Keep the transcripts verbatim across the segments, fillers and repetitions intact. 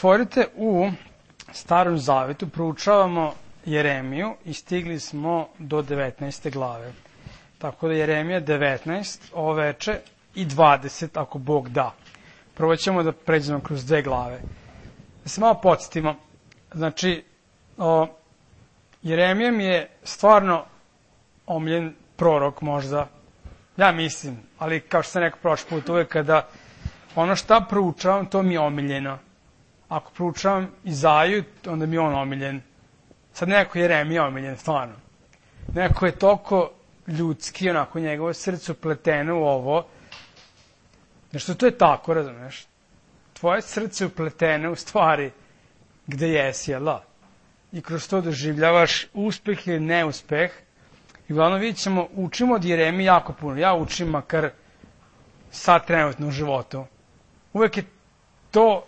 otvorite u Starom Zavetu, proučavamo Jeremiju i stigli smo do devetnaeste glave. Tako da Jeremija devetnaest, ovo veče, i dvadeset, ako Bog da. Prvo ćemo da pređemo kroz dve glave. Da se malo podsjetimo. Znači, o, Jeremija mi je stvarno omiljen prorok možda. Ja mislim, ali kao što sam rekao prošli put, uvek kada ono šta proučavam, to mi je omiljeno. Ako proučavam Izaju, onda mi je on omiljen. Sad neko Jeremija omiljen, stvarno. Neko je toliko ljudski, onako njegovo srce upleteno u ovo. Nešto to je tako, razumeš? Tvoje srce upleteno u stvari gde jesi, jel da? I kroz to doživljavaš uspeh ili neuspeh. I uglavnom vidjet ćemo, učimo od Jeremije jako puno. Ja učim makar sad trenutno u životu. Uvek je to,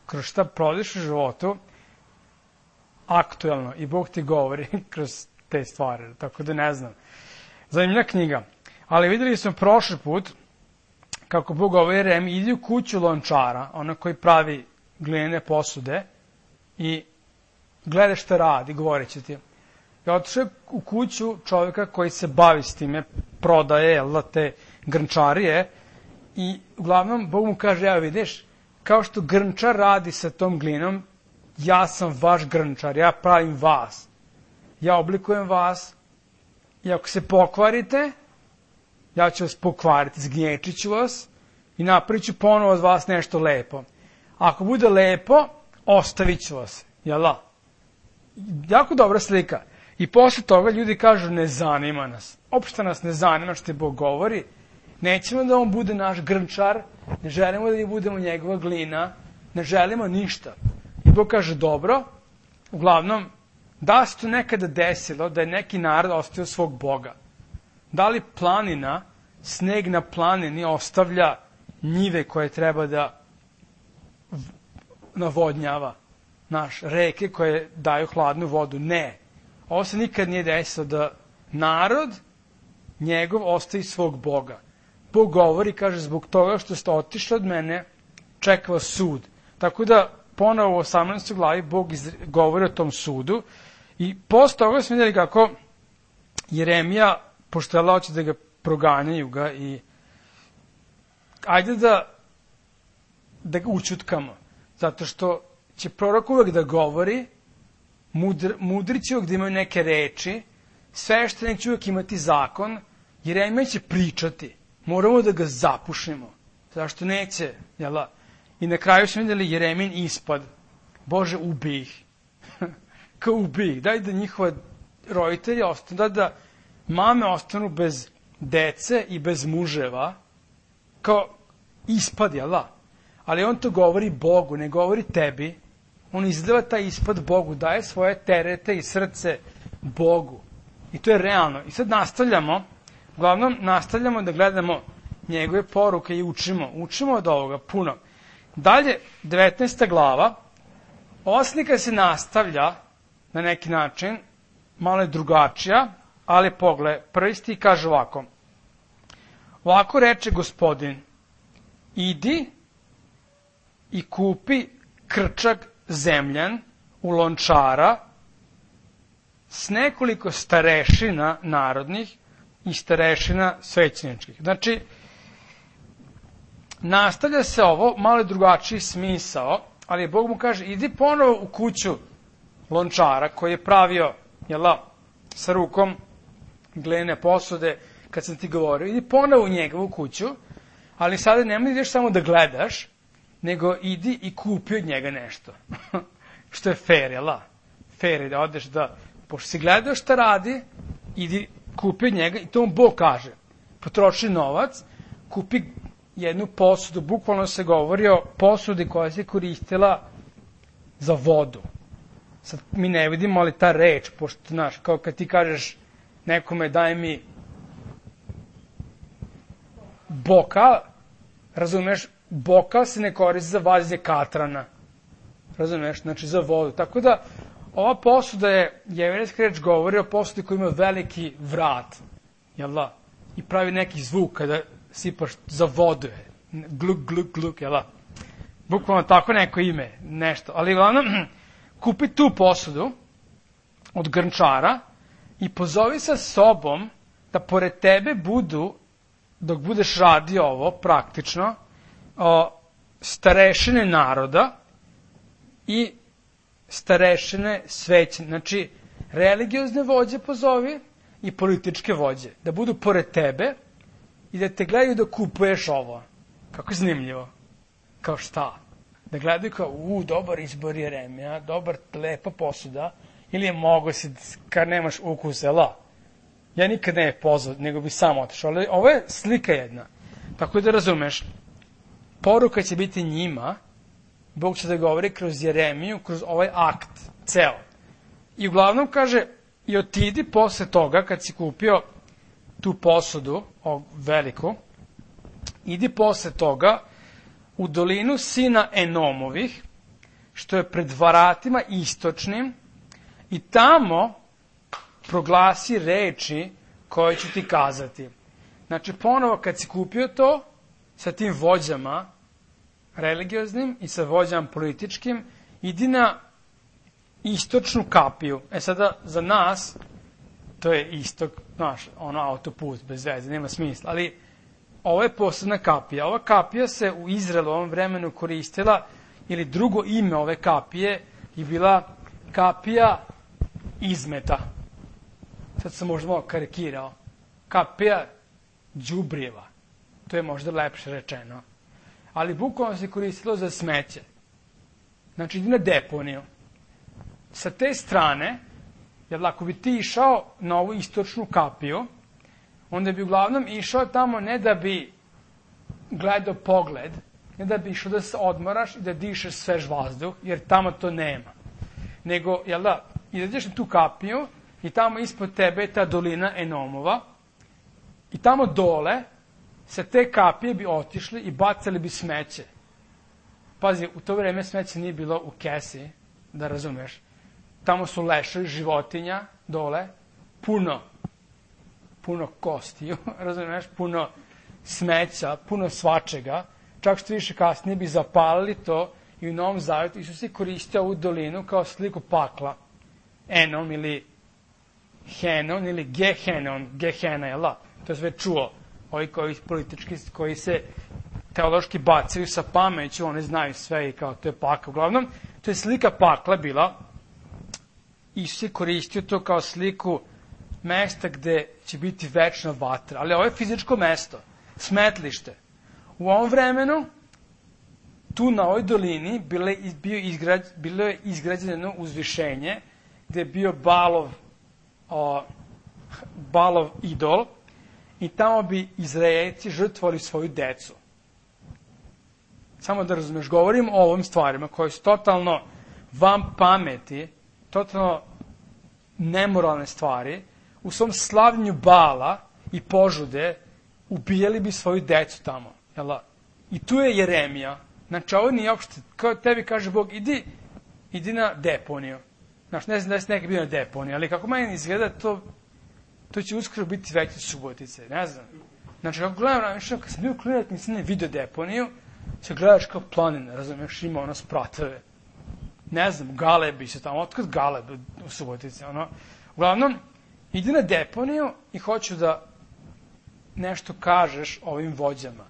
kroz šta prolaziš u životu, aktuelno. I Bog ti govori kroz te stvari. Tako da ne znam. Zanimljiva knjiga. Ali videli smo prošli put kako Bog govori Jeremiji, idi u kuću lončara, ona koji pravi glinene posude, i gledaj šta radi, govorit će ti. Ja otišao u kuću čovjeka koji se bavi s time, prodaje, jel, te grnčarije, i uglavnom Bog mu kaže, ja vidiš, kao što grnčar radi sa tom glinom, ja sam vaš grnčar, ja pravim vas. Ja oblikujem vas, i ako se pokvarite, ja ću vas pokvariti, zgnječit ću vas i napravit ću ponovo od vas nešto lepo. Ako bude lepo, ostavit ću vas, jel da? Jako dobra slika. I posle toga ljudi kažu, ne zanima nas. Opšte nas ne zanima što ti Bog govori. Nećemo da on bude naš grnčar, ne želimo da mi budemo njegova glina, ne želimo ništa. I Bog kaže, dobro, uglavnom, da se to nekada desilo, da je neki narod ostavio svog Boga. Da li planina, sneg na planini ostavlja njive koje treba da navodnjava, naš, reke koje daju hladnu vodu? Ne. Ovo se nikad nije desilo da narod njegov ostavi svog Boga. Bog govori, kaže, zbog toga što ste otišli od mene, čeka vas sud. Tako da, ponovo u osamnaestoj glavi Bog govori o tom sudu. I posle toga smo vidjeli kako Jeremija, pošto je hoće da ga proganjaju ga, i ajde da da ga učutkamo. Zato što će prorok uvek da govori, mudr, mudri će uvek da imaju neke reči, sveštenik će uvek imati zakon, Jeremija će pričati. Moramo da ga zapušimo. Zašto neće? Jel? I na kraju smo vidjeli Jeremin ispad. Bože, ubij ih. Kao ubij ih. Daj da njihova roditelji ostanu, da da mame ostanu bez dece i bez muževa. Kao ispad, jel da? Ali on to govori Bogu, ne govori tebi. On izliva taj ispad Bogu, daje svoje terete i srce Bogu. I to je realno. I sad nastavljamo, uglavnom nastavljamo da gledamo njegove poruke i učimo. Učimo od ovoga puno. Dalje, devetnaesta glava, ova slika se nastavlja na neki način, malo je drugačija, ali pogled, prvi stih kaže ovako. Ovako reče Gospodin, idi i kupi krčak zemljan u lončara s nekoliko starešina narodnih i starešina svećeničkih. Znači, nastavlja se ovo, malo drugačiji smisao, ali Bog mu kaže, idi ponovo u kuću lončara koji je pravio, jel da, sa rukom glinene posude, kad sam ti govorio, idi ponovo u njegovu kuću, ali sada nemoj ideš samo da gledaš, nego idi i kupi od njega nešto. Što je fair, jel da? Fair je da odeš da, pošto si gledao šta radi, idi kupi od njega, i to mu Bog kaže. Potroši novac, kupi jednu posudu, bukvalno se govori o posudi koja se koristila za vodu. Sad mi ne vidimo, ali ta reč, pošto, znaš, kao kad ti kažeš nekome daj mi bokal, razumeš, bokal se ne koristi za vađenje katrana. Razumeš, znači za vodu. Tako da, ova posuda je, jevrejska reč govori o posudi koja ima veliki vrat, jel da? I pravi neki zvuk kada sipaš za vodu. Gluk, gluk, gluk, jel da? bukvalno tako neko ime, nešto. Ali uglavnom, kupi tu posudu od grnčara i pozovi sa sobom da pored tebe budu, dok budeš radio ovo, praktično, o, starešine naroda i starešine svećne. Znači, religiozne vođe pozovi i političke vođe. Da budu pored tebe i da te gledaju da kupuješ ovo. Kako zanimljivo. Kao šta? Da gledaju kao, u, dobar izbor Jeremija, dobar, lepa posuda, ili je mogo si, kad nemaš ukus, la. Ja nikad ne je pozvao, nego bi sam otišao. Ali ovo je slika jedna. Tako da razumeš, poruka će biti njima, Bog će da govori kroz Jeremiju, kroz ovaj akt, ceo. I uglavnom kaže, i otidi posle toga, kad si kupio tu posudu, o, veliku, idi posle toga u dolinu sina Enomovih, što je pred vratima istočnim, i tamo proglasi reči koje ću ti kazati. Znači, ponovo kad si kupio to, sa tim vođama religioznim i sa vođama političkim, idi na istočnu kapiju. E sada, za nas, to je istok, znaš, ono autoput, bez veze, nema smisla, ali ovo je posebna kapija. Ova kapija se u Izraelu u ovom vremenu koristila, ili drugo ime ove kapije je bila kapija izmeta. Sad sam možda malo karikirao. Kapija đubrijeva. To je možda lepše rečeno. Ali bukvalno se koristilo za smeće. Znači, idi na deponiju. Sa te strane, jer ako bi ti išao na ovu istočnu kapiju, onda bi uglavnom išao tamo ne da bi gledao pogled, ne da bi išao da se odmoraš i da dišeš svež vazduh, jer tamo to nema. Nego, jel da, izađeš na tu kapiju i tamo ispod tebe je ta dolina Enomova i tamo dole sa te kapije bi otišli i bacali bi smeće. Pazi, u to vreme smeće nije bilo u kesi, da razumeš. Tamo su leševi životinja dole, puno, puno kostiju, razumeš, puno smeća, puno svačega. Čak što više kasnije bi zapalili to i u Novom Zavjetu Isus je koristio ovu dolinu kao sliku pakla. Enom ili Henon ili Gehenon, Gehena je la. To je sve čuo. Ovi koji politički, koji se teološki bacaju sa pameću, oni znaju sve i kao to je pakla. Uglavnom, to je slika pakla bila. Isus je koristio to kao sliku mesta gde će biti večna vatra. Ali ovo je fizičko mesto, smetlište. U ovom vremenu, tu na ovoj dolini bilo je, bio izgrađ, bilo je izgrađeno uzvišenje gde je bio Balov, o, Balov idol i tamo bi Izraelci žrtvovali svoju decu. Samo da razumeš, govorim o ovim stvarima koje su totalno vam pameti, totalno nemoralne stvari. U svom slavljenju Bala i požude ubijali bi svoju decu tamo. Jela? I tu je Jeremija. Znači, ovo nije uopšte, kao tebi kaže Bog, idi, idi na deponiju. Znači, ne znam da si nekaj bio na deponiju, ali kako meni izgleda, to, to će uskoro biti veće Subotice, ne znam. Znači, kako gledam, više, kad sam bio klinac, nisam ne vidio deponiju, se gledaš kao planina, razumiješ, ima ono spratove. Ne znam, Galebi se tamo, otkad Galeb u Subotici, ono. Uglavnom, idi na deponiju i hoću da nešto kažeš ovim vođama.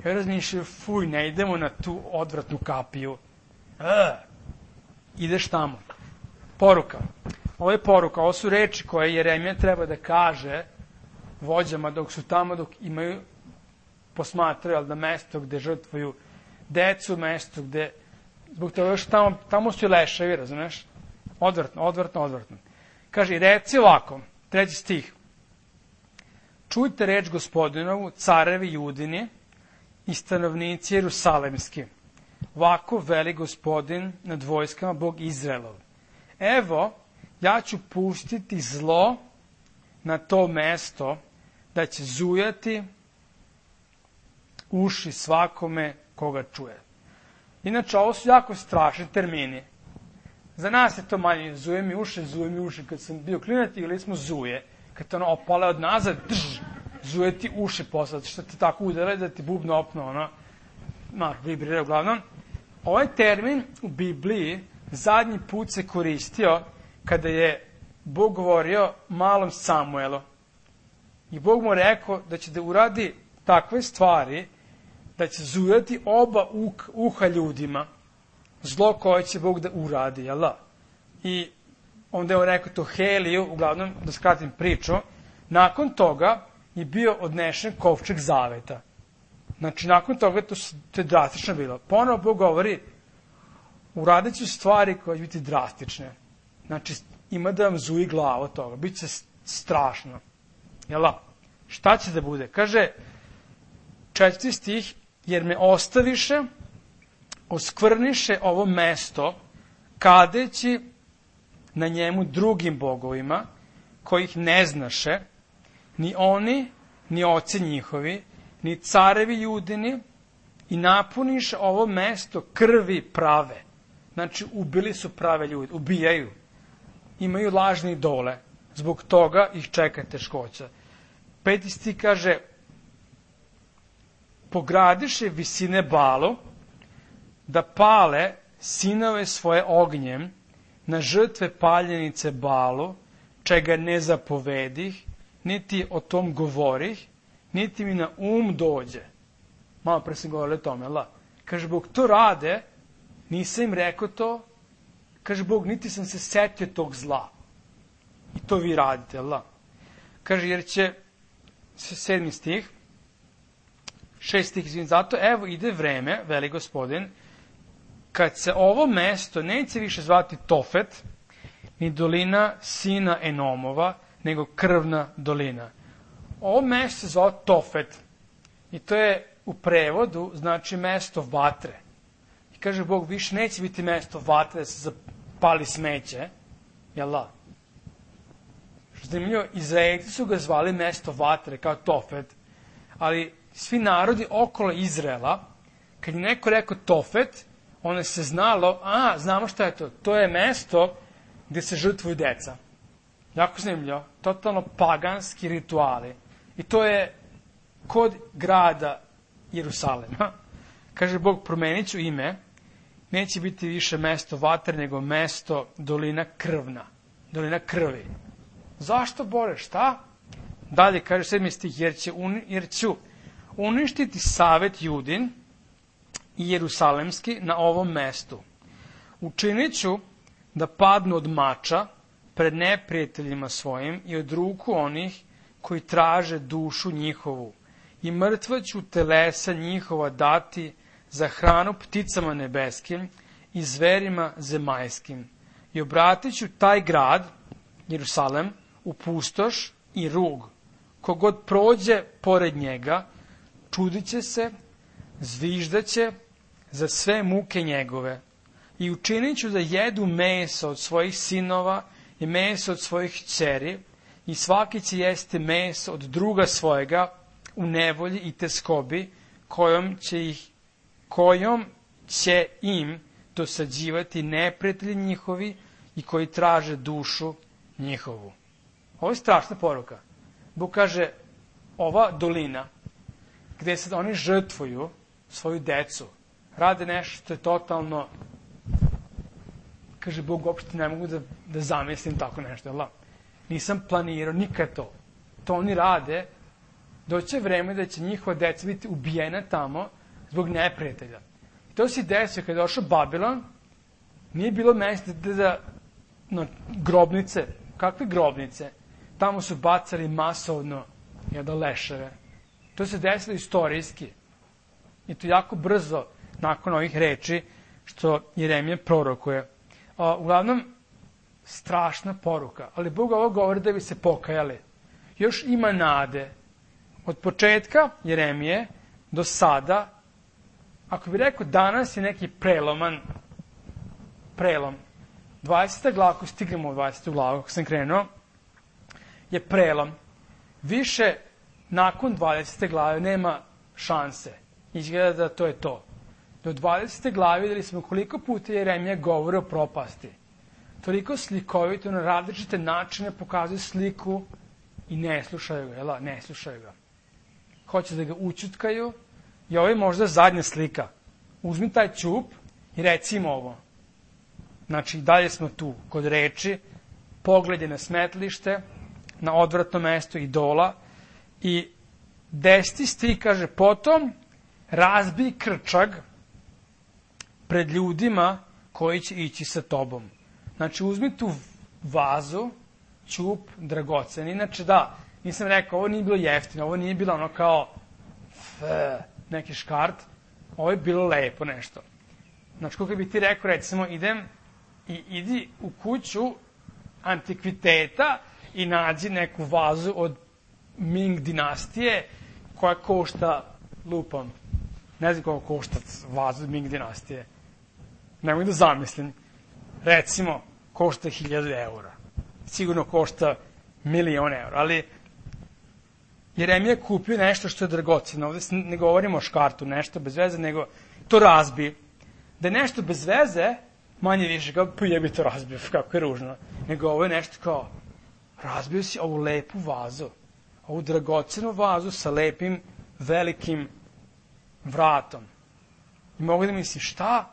Ja razmišljaju, fuj, ne idemo na tu odvratnu kapiju. E, ideš tamo. Poruka. Ovo je poruka, ovo su reči koje Jeremija treba da kaže vođama dok su tamo, dok imaju, posmatraju, ali da mesto gde žrtvuju decu, mesto gde, zbog toga još tamo, tamo su i leševi, razumeš? Odvratno, odvratno, odvratno. Kaže, reci ovako, treći stih. Čujte reč Gospodinovu, carevi Judini i stanovnici Jerusalemski. Ovako veli Gospodin nad vojskama, Bog Izraelov. Evo, ja ću pustiti zlo na to mesto, da će zujati uši svakome koga čuje. Inače, ovo su jako strašni termini. Za nas je to manje, zuje mi uši, zuje mi uši. Kad sam bio klinac, ili smo zuje. Kad te ono opale od nazad, drž, zuje ti uši posle, što te tako udele da ti bubno opno, ono, no, vibrira uglavnom. Ovaj termin u Bibliji zadnji put se koristio kada je Bog govorio malom Samuelu. I Bog mu rekao da će da uradi takve stvari, da će zujati oba uha ljudima, zlo koje će Bog da uradi, jel da? I onda je on rekao to Heliju, uglavnom, da skratim priču, nakon toga je bio odnešen kovčeg zaveta. Znači, nakon toga to, to je drastično bilo. Ponovo Bog govori, uradit ću stvari koje će biti drastične. Znači, ima da vam zuji glava od toga. Biće strašno. Jel da? Šta će da bude? Kaže, četvrti stih, jer me ostaviše, oskvrniše ovo mesto, kadeći na njemu drugim bogovima, kojih ne znaše, ni oni, ni oci njihovi, ni carevi judini, i napuniš ovo mesto krvi prave. Znači, ubili su prave ljude, ubijaju. Imaju lažne idole. Zbog toga ih čeka teškoća. Peti stih kaže, pogradiše visine Balu, da pale sinove svoje ognjem na žrtve paljenice Balu, čega ne zapovedih, niti o tom govorih, niti mi na um dođe. Malo pre sam govorio o tome, la. Kaže, Bog, to rade, nisam im rekao to, kaže, Bog, niti sam se setio tog zla. I to vi radite, la. Kaže, jer će, sedmi stih, šest stih, izvim, zato, evo, ide vreme, veli Gospodin, kad se ovo mesto neće više zvati Tofet, ni dolina sina Enomova, nego krvna dolina. Ovo mesto se zvao Tofet. I to je u prevodu, znači mesto vatre. I kaže Bog, više neće biti mesto vatre da se zapali smeće. Jel da? Što zanimljivo, Izraelci su ga zvali mesto vatre, kao Tofet. Ali svi narodi okolo Izraela, kad je neko rekao Tofet, onda se znalo, a, znamo šta je to. To je mesto gde se žrtvuju deca. Jako zanimljivo. Totalno paganski rituali. I to je kod grada Jerusalema. Kaže Bog, promenit ću ime, neće biti više mesto vatre, nego mesto dolina krvna. Dolina krvi. Zašto, Bore, šta? Dalje, kaže sedmi stih, jer, će uni, jer ću uništiti savet Judin i Jerusalemski na ovom mestu. Učinit ću da padnu od mača pred neprijateljima svojim i od ruku onih koji traže dušu njihovu. I mrtva ću telesa njihova dati za hranu pticama nebeskim i zverima zemaljskim. I obratit ću taj grad, Jerusalem, u pustoš i rug. Kogod prođe pored njega, čudit će se, zviždaće za sve muke njegove. I učinit ću da jedu meso od svojih sinova i meso od svojih kćeri, i svaki će jesti meso od druga svojega u nevolji i teskobi, kojom će, ih, kojom će im dosađivati neprijatelji njihovi i koji traže dušu njihovu. Ovo je strašna poruka. Bog kaže, ova dolina, gde se oni žrtvuju svoju decu, rade nešto što je totalno, kaže Bog, uopšte ne mogu da, da zamislim tako nešto, jel da? Nisam planirao nikad to. To oni rade, doće vreme da će njihova deca biti ubijena tamo zbog neprijatelja. I to se desio kada je došao Babilon, nije bilo mesta da, da no, grobnice, kakve grobnice? Tamo su bacali masovno jedan leševe. To se desilo istorijski. I to jako brzo, nakon ovih reči, što Jeremija prorokuje. A, uglavnom, strašna poruka. Ali Bog ovo govori da bi se pokajali. Još ima nade. Od početka Jeremije do sada, ako bi rekao danas je neki preloman, prelom. dvadeseta glava, ako stignemo u dvadesetu glavu, ako sam krenuo, je prelom. Više nakon dvadesete glave nema šanse. Izgleda da to je to. Do dvadesete glave videli smo koliko puta Jeremija govori o propasti. Toliko slikovito na različite načine pokazuje sliku i ne slušaju ga, jel? Ne slušaju ga. Hoće da ga učutkaju i ovo je možda zadnja slika. Uzmi taj ćup I recimo ovo. Znači, dalje smo tu, kod reči, pogled je na smetlište, na odvratno mesto idola, i deseti stih kaže, potom razbij krčag pred ljudima koji će ići sa tobom. Znači, uzmi tu vazu, ćup, dragocen. Inače, da, nisam rekao, ovo nije bilo jeftino, ovo nije bilo ono kao f, neki škart, ovo je bilo lepo nešto. Znači, kako bi ti rekao, recimo, idem i idi u kuću antikviteta i nađi neku vazu od Ming dinastije koja košta, lupam, ne znam koliko košta vazu od Ming dinastije. Ne mogu da zamislim. Recimo, košta hiljadu eura. Sigurno košta milion eura, ali Jeremija kupio nešto što je dragoceno. Ovde ne govorimo o škartu, nešto bez veze, nego to razbi. Da je nešto bez veze, manje više kao, pa jebi to razbio, kako je ružno. Nego ovo je nešto kao, razbio si ovu lepu vazu, ovu dragocenu vazu sa lepim, velikim vratom. I mogu da mislim, šta?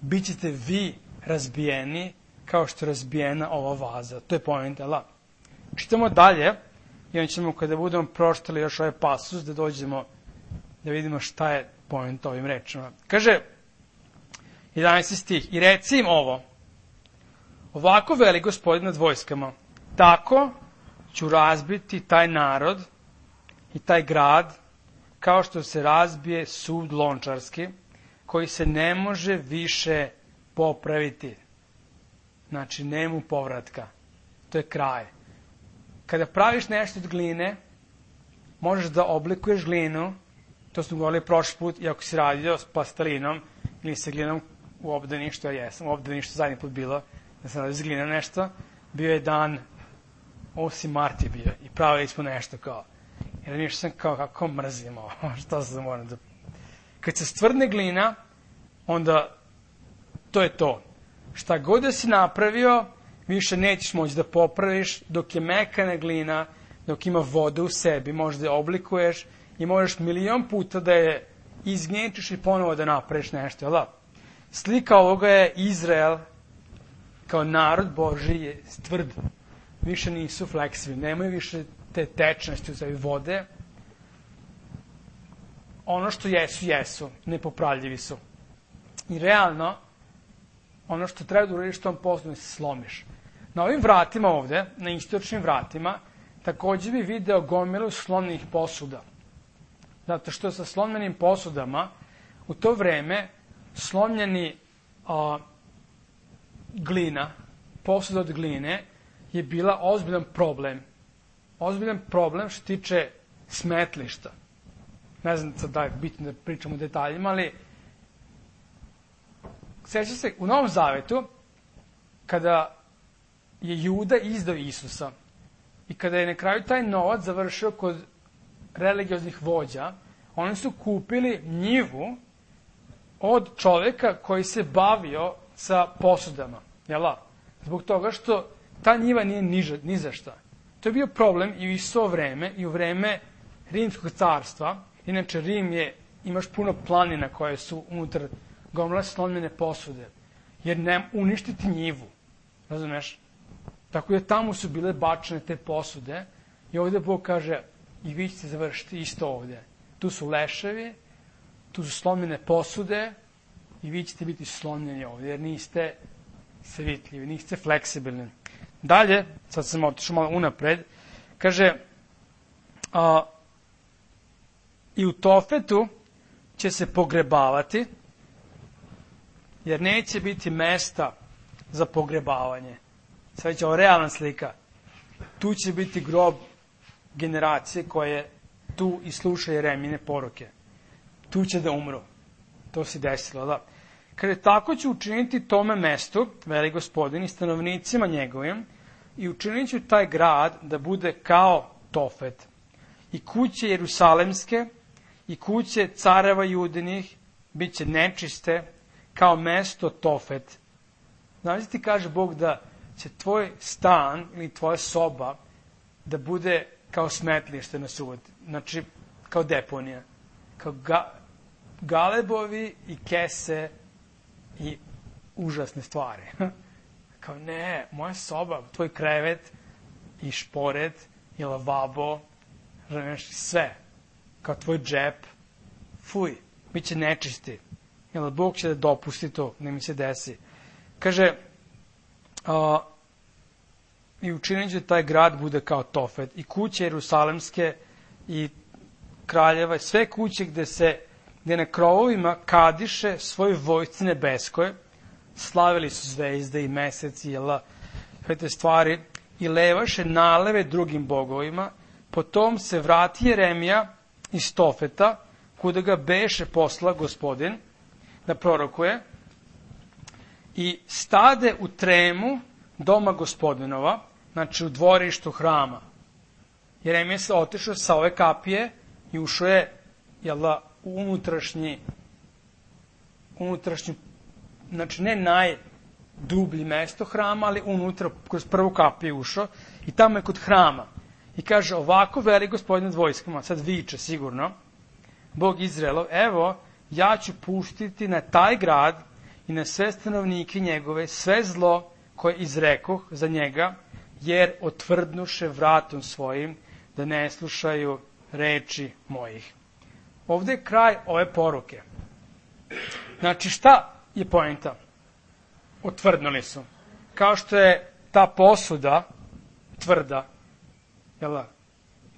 Bićete vi razbijeni kao što je razbijena ova vaza. To je poenta, la. Čitamo dalje i onda ćemo, kada budemo proštali još ovaj pasus, da dođemo da vidimo šta je poenta ovim rečima. Kaže, jedanaesti stih, i reci im ovo, ovako veli Gospodin nad vojskama, tako ću razbiti taj narod i taj grad, kao što se razbije sud lončarski, koji se ne može više popraviti. Znači, nema povratka. To je kraj. Kada praviš nešto od gline, možeš da oblikuješ glinu, to smo govorili prošli put, i ako si radio s plastelinom ili sa glinom u obdaništu, ja jesam, u obdaništu zadnji put bilo, da sam radio s glinom nešto, bio je dan, osmi mart je bio, i pravili smo nešto kao, jer ništa sam kao, kako mrzim ovo, što se moram da... Kad se stvrdne glina, onda to je to. Šta god da si napravio, više nećeš moći da popraviš, dok je mekana glina, dok ima vodu u sebi, možeš da je oblikuješ i možeš milion puta da je izgnječeš i ponovo da napraviš nešto. Jel da? Slika ovoga je Izrael kao narod Božiji je tvrd. Više nisu fleksibilni, nemaju više te tečnosti uz vode. Ono što jesu, jesu, nepopravljivi su. I realno, ono što treba da uradiš tom poslu, se slomiš. Na ovim vratima ovde, na istočnim vratima, takođe bi video gomilu slomljenih posuda. Zato što sa slomljenim posudama, u to vreme, slomljeni a, glina, posuda od gline, je bila ozbiljan problem. Ozbiljan problem što tiče smetlišta. Ne znam sad da je bitno da pričamo o detaljima, ali seća se u Novom Zavetu, kada je Juda izdao Isusa i kada je na kraju taj novac završio kod religioznih vođa, oni su kupili njivu od čoveka koji se bavio sa posudama. Jel? Zbog toga što ta njiva nije niža, ni za šta. To je bio problem i u isto vreme, i u vreme Rimskog carstva. Inače, Rim je, imaš puno planina koje su unutar gomile slomljene posude. Jer ne uništiti njivu. Razumeš? Tako da tamo su bile bačene te posude i ovde Bog kaže, i vi ćete završiti isto ovde. Tu su leševi, tu su slomljene posude i vi ćete biti slomljeni ovde, jer niste svitljivi, niste fleksibilni. Dalje, sad sam otišao malo unapred, kaže, a, i u Tofetu će se pogrebavati, jer neće biti mesta za pogrebavanje. Sad će ovo realna slika. Tu će biti grob generacije koje tu i sluša Jeremine poruke. Tu će da umru. To se desilo, da. Kada tako će učiniti tome mestu, veli Gospodin, i stanovnicima njegovim, i učinit ću taj grad da bude kao Tofet. I kuće Jerusalemske, i kuće careva Judinih, bit će nečiste, kao mesto Tofet. Znači ti kaže Bog da će tvoj stan ili tvoja soba da bude kao smetlište na suboti. Znači, kao deponija. Kao ga, galebovi i kese i užasne stvari. Kao, ne, moja soba, tvoj krevet i šporet i lavabo, razumeš, sve. Kao tvoj džep, fuj, bit će nečisti. Jel, Bog će da dopusti to, ne mi se desi. Kaže, a, i učinit će taj grad bude kao Tofet, i kuće Jerusalemske, i kraljeva, sve kuće gde se, gde na krovovima kadiše svoj vojsci nebeskoj, slavili su zvezde i mesec i jela, sve te stvari, i levaše naleve drugim bogovima. Potom se vrati Jeremija iz Tofeta, kuda ga beše posla Gospodin, da prorokuje, i stade u tremu doma Gospodinova, znači u dvorištu hrama. Jeremija se otišao sa ove kapije i ušao je, jela, u unutrašnji, unutrašnju, znači ne najdublji mesto hrama, ali unutra, kroz prvu kapiju ušao, i tamo je kod hrama. I kaže, ovako veli Gospodin nad vojskama, sad viče sigurno, Bog Izraelov, evo, ja ću puštiti na taj grad i na sve stanovnike njegove sve zlo koje izrekoh za njega, jer otvrdnuše vratom svojim da ne slušaju reči mojih. Ovde je kraj ove poruke. Znači, šta je poenta? Otvrdnuli su. Kao što je ta posuda tvrda, jel,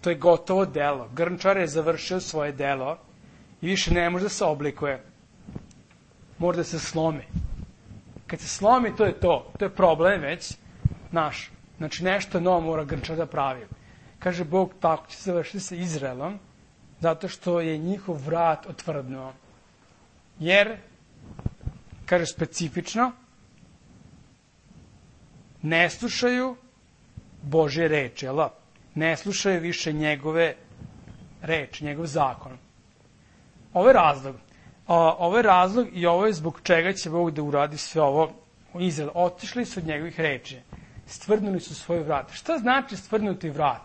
to je gotovo delo. Grnčar je završio svoje delo i više ne može da se oblikuje. Mora da se slomi. Kad se slomi, to je to. To je problem već naš. Znači, nešto novo mora Grnčar da pravi. Kaže Bog, tako će se završiti sa Izraelom, zato što je njihov vrat otvrdnuo. Jer, kaže specifično, ne slušaju Božje reči, jel? Ne slušaju više njegove reči, njegov zakon. Ovo je razlog. Ovo je razlog i ovo je zbog čega će Bog da uradi sve ovo u Izrael. Otišli su od njegovih reči. Stvrdnuli su svoj vrat. Šta znači stvrdnuti vrat?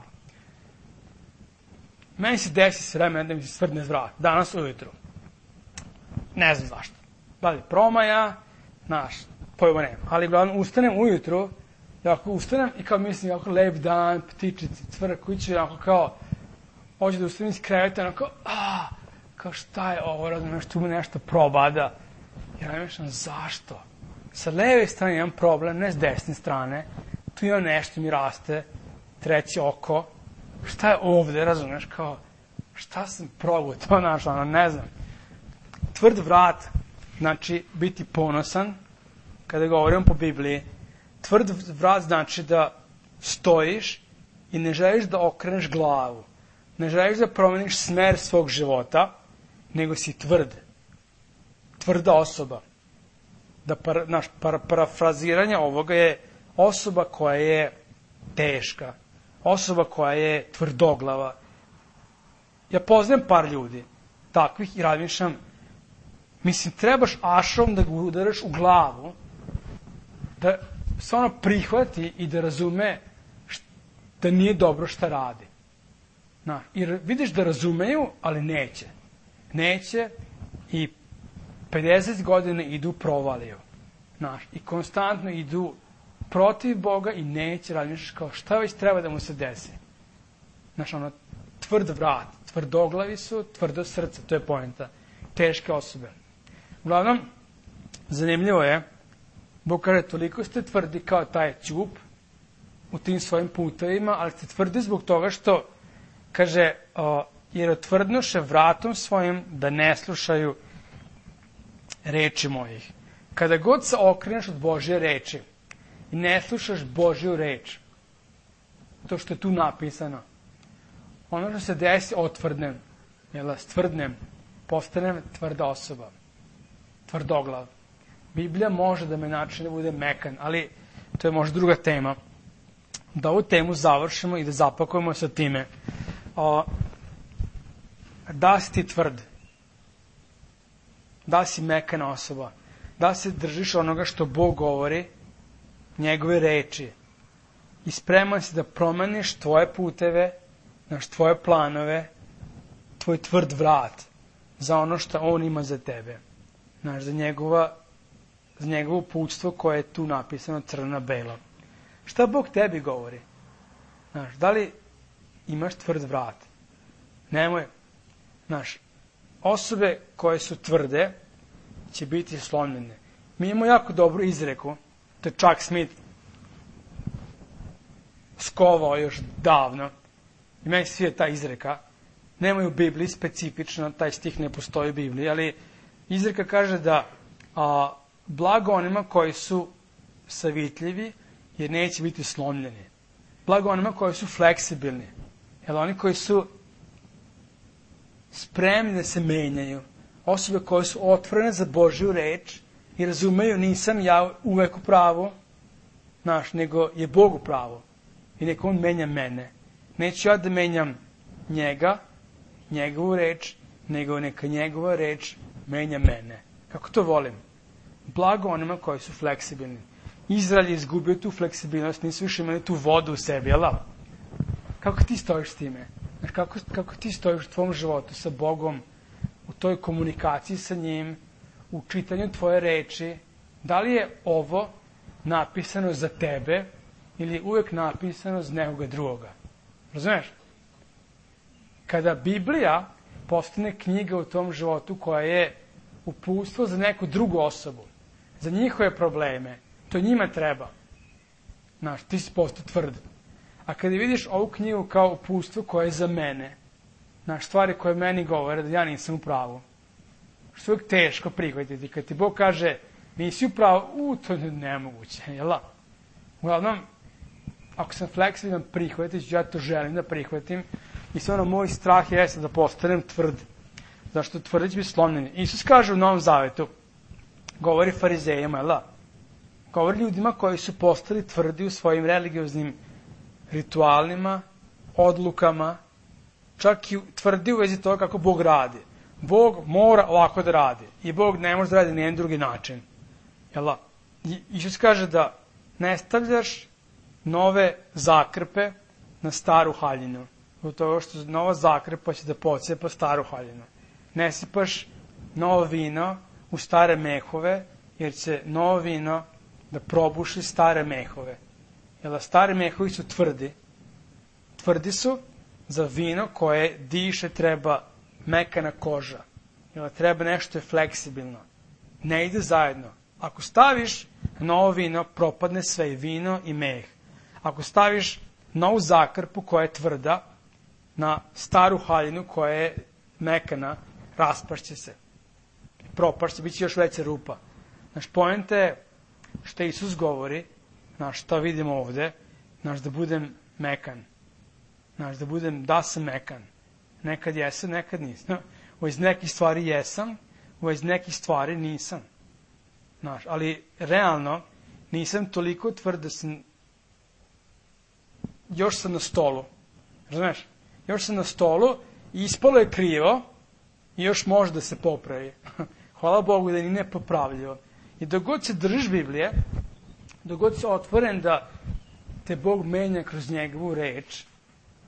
Meni se desi s vremena da mi se stvrdne vrat. Danas ujutru. Ne znam zašto. Da li promaja, znaš, pojma nema. Ali uglavnom ustanem ujutru, ja ako ustanem i kao mislim, jako lep dan, ptičici, cvrkući, jako kao, hoću da ustanem iz kreveta, onako, a, kao šta je ovo, razumiješ, tu me nešto probada. Ja ne mišljam, zašto? Sa leve strane imam problem, ne s desne strane, tu ima nešto mi raste, treće oko, šta je ovde, razumiješ, kao, šta sam probao, to našao, ono, ne znam. Tvrd vrat, znači biti ponosan, kada govorimo po Bibliji, tvrd vrat znači da stojiš i ne želiš da okreneš glavu, ne želiš da promeniš smer svog života, nego si tvrd, tvrda osoba. Da para, naš para, parafraziranje ovoga je osoba koja je teška, osoba koja je tvrdoglava. Ja poznajem par ljudi takvih i razmišljam, mislim, trebaš ašom da ga udaraš u glavu, da se ono prihvati i da razume šta, da nije dobro šta radi. Na, jer vidiš da razumeju, ali neće. Neće i pedeset godina idu provaliju. Znaš, i konstantno idu protiv Boga i neće raditi kao šta već treba da mu se desi. Znaš, ono, tvrd vrat, tvrdoglavi su, tvrdo srce, to je poenta. Teške osobe. Uglavnom, zanimljivo je, Bog kaže, toliko ste tvrdi kao taj ćup u tim svojim putevima, ali ste tvrdi zbog toga što, kaže, o, jer otvrdnuše vratom svojim da ne slušaju reči mojih. Kada god se okreneš od Božje reči i ne slušaš Božju reč, to što je tu napisano, ono što se desi, otvrdnem, jel, stvrdnem, postanem tvrda osoba, tvrdoglav. Biblija može da me načine da bude mekan, ali to je možda druga tema. Da ovu temu završimo i da zapakujemo sa time. O, da si ti tvrd, da si mekana osoba, da se držiš onoga što Bog govori, njegove reči, i spreman si da promeniš tvoje puteve, naš tvoje planove, tvoj tvrd vrat za ono što on ima za tebe, znaš, za njegova za njegovo uputstvo koje je tu napisano crno-belo. Šta Bog tebi govori? Znaš, da li imaš tvrd vrat? Nemoj. Znaš, osobe koje su tvrde će biti slomljene. Mi imamo jako dobru izreku, to je Chuck Smith skovao još davno. I meni svije ta izreka. Nemoj u Bibliji specifično, taj stih ne postoji u Bibliji, ali izreka kaže da a, blago onima koji su savitljivi, jer neće biti slomljeni. Blago onima koji su fleksibilni, jer oni koji su spremni da se menjaju, osobe koje su otvorene za Božju reč i razumeju nisam ja uvek u pravu, znaš, nego je Bog u pravu i neka On menja mene. Neću ja da menjam njega, njegovu reč, nego neka njegova reč menja mene. Kako to volim? Blago onima koji su fleksibilni. Izrael je izgubio tu fleksibilnost, nisu više imali tu vodu u sebi, jel da? Kako ti stojiš s time? Znaš, kako, kako ti stojiš u tvom životu sa Bogom, u toj komunikaciji sa njim, u čitanju tvoje reči? Da li je ovo napisano za tebe ili je uvek napisano za nekoga drugoga? Razumeš? Kada Biblija postane knjiga u tom životu koja je uputstvo za neku drugu osobu, za njihove probleme, to njima treba. Znaš, ti si postao tvrd. A kada vidiš ovu knjigu kao uputstvo koje je za mene, znaš, stvari koje meni govore da ja nisam u pravu, što je uvijek teško prihvatiti. Kad ti Bog kaže nisi u pravu, u, to je nemoguće, jel da? Uglavnom, ako sam fleksibilan, prihvatit ću, ja to želim da prihvatim. I sve ono, moj strah jeste da postanem tvrd. Zašto tvrdi će biti slomljeni. Isus kaže u Novom Zavetu, govori farizejima, jel da? Govori ljudima koji su postali tvrdi u svojim religioznim ritualima, odlukama, čak i tvrdi u vezi toga kako Bog radi. Bog mora ovako da radi. I Bog ne može da radi na jedan drugi način. Jel da? I Isus kaže da ne stavljaš nove zakrpe na staru haljinu. Zbog toga što nova zakrpa će da pocepa staru haljinu. Ne sipaš novo vino u stare mehove, jer će novo vino da probuši stare mehove. Jer da stare mehovi su tvrdi. Tvrdi su za vino koje diše treba mekana koža. Jer da treba nešto je fleksibilno. Ne ide zajedno. Ako staviš novo vino, propadne sve i vino i meh. Ako staviš novu zakrpu koja je tvrda na staru haljinu koja je mekana, raspašće se. Propašće, bit će još veća rupa. Znaš, poenta je što Isus govori, znaš, što vidimo ovde, znaš, da budem mekan. Znaš, da budem, da sam mekan. Nekad jesam, nekad nisam. U iz nekih stvari jesam, u iz nekih stvari nisam. Znaš, ali realno nisam toliko tvrd da sam, još sam na stolu. Razumeš? Još sam na stolu i ispalo je krivo i još može da se popravi. Hvala Bogu da ni ne popravljivo. I dok god se držiš Biblije, dok god si otvoren da te Bog menja kroz njegovu reč,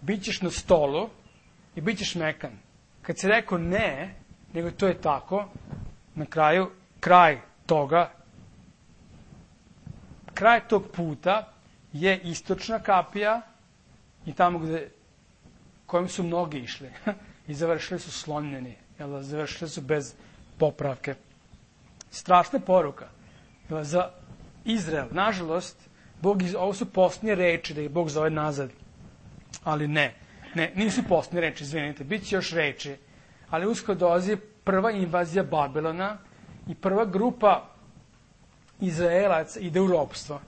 bit ćeš na stolu i bit ćeš mekan. Kad si rekao ne, nego to je tako, na kraju, kraj toga, kraj tog puta je istočna kapija i tamo gde, kojim su mnogi išli i završili su slomljeni, jel, završili su bez popravke. Strašna poruka. Jel, za Izrael, nažalost, Bog iz, ovo su posljednje reči da ih Bog zove nazad, ali ne, ne, nisu posljednje reči, izvinite, bit će još reči, ali uskoro dolazi prva invazija Babilona i prva grupa Izraelaca ide u ropstvo.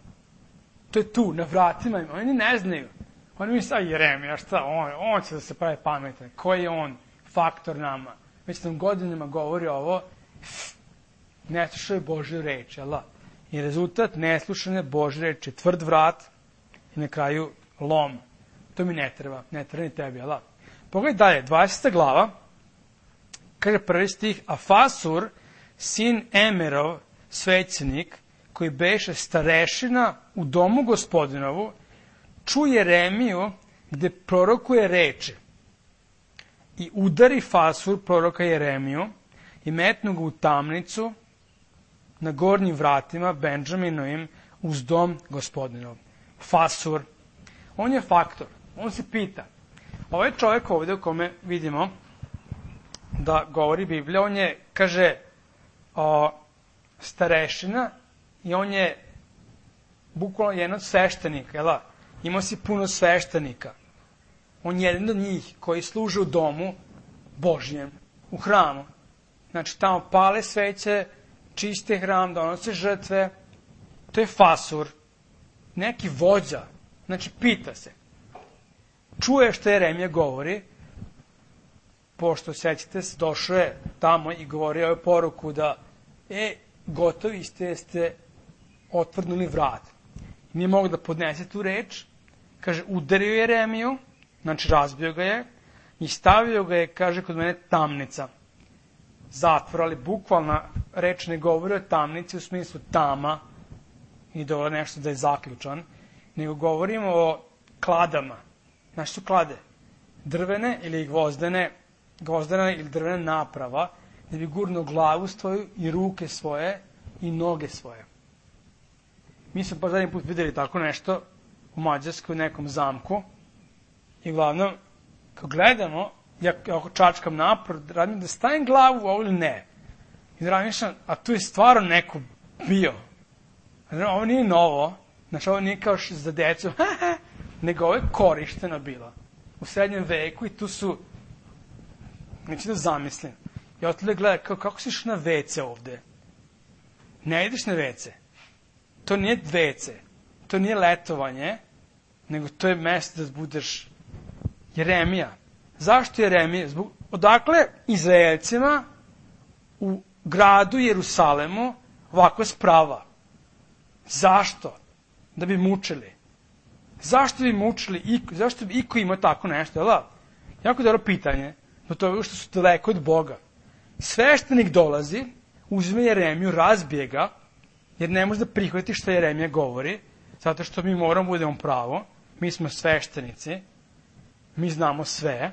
To je tu, na vratima im. Oni ne znaju. Oni misle, a Jeremija, šta, on, on će da se pravi pametan. Koji je on faktor nama? Već nam godinama govori ovo, ne slušaju Božju reč, jel da? I rezultat neslušane Božje reči, tvrd vrat i na kraju lom. To mi ne treba, ne treba ni tebi, jel da? Pogledaj dalje, dvadeseta glava, kaže prvi stih, a Fasur, sin Emerov, svećenik, koji beše starešina u domu Gospodinovu, čuje Jeremiju gde prorokuje reči i udari Fasur proroka Jeremiju i metnu ga u tamnicu na gornjim vratima Benjaminovim uz dom gospodinov. Fasur. On je faktor. On se pita. Ovaj čovjek ovdje u kome vidimo da govori Biblija, on je, kaže, o, starešina i on je bukvalno jedan od sveštenika, jel da? Imao si puno sveštenika. On je jedan od njih koji služe u domu Božjem, u hramu. Znači, tamo pale sveće, čiste hram, donose žrtve. To je fasur. Neki vođa. Znači, pita se. Čuje što Jeremija govori, pošto, sećate se, došao je tamo i govorio je poruku da, e, gotovi ste, ste otvrnuli vrat. Nije mogu da podnese tu reč. Kaže, udario Jeremiju, znači razbio ga je, i stavio ga je, kaže, kod mene tamnica. Zatvor, ali bukvalna reč ne govori o tamnici u smislu tama i da je nešto da je zaključan, nego govorimo o kladama. Znači su klade? Drvene ili gvozdene, gvozdena ili drvena naprava, da bi gurnuo glavu svoju i ruke svoje i noge svoje. Mi smo pa zadnji put videli tako nešto u Mađarskoj, u nekom zamku, i uglavnom, kad gledamo, ja ako čačkam napred, radim da stavim glavu u ovo ili ne. I da razmišljam, a tu je stvarno neko bio. Ovo nije novo, znači ovo nije kao za decu, nego ovo je korišteno bilo. U srednjem veku i tu su, neću da zamislim, ja otvore gledam, kao, kako si išao na ve ce ovde? Ne ideš na ve ce. To nije ve ce, to nije letovanje, nego to je mesto da budeš Jeremija. Zašto Jeremija? Zbog, odakle Izraelcima u gradu Jerusalemu ovakva sprava? Zašto? Da bi mučili. Zašto bi mučili? Iko, zašto bi iko imao tako nešto? Jel? Jako dobro pitanje. Do toga što su daleko od Boga. Sveštenik dolazi, uzme Jeremiju, razbije ga, jer ne može da prihvati što Jeremija govori, zato što mi moramo budemo pravo. Mi smo sveštenici. Mi znamo sve.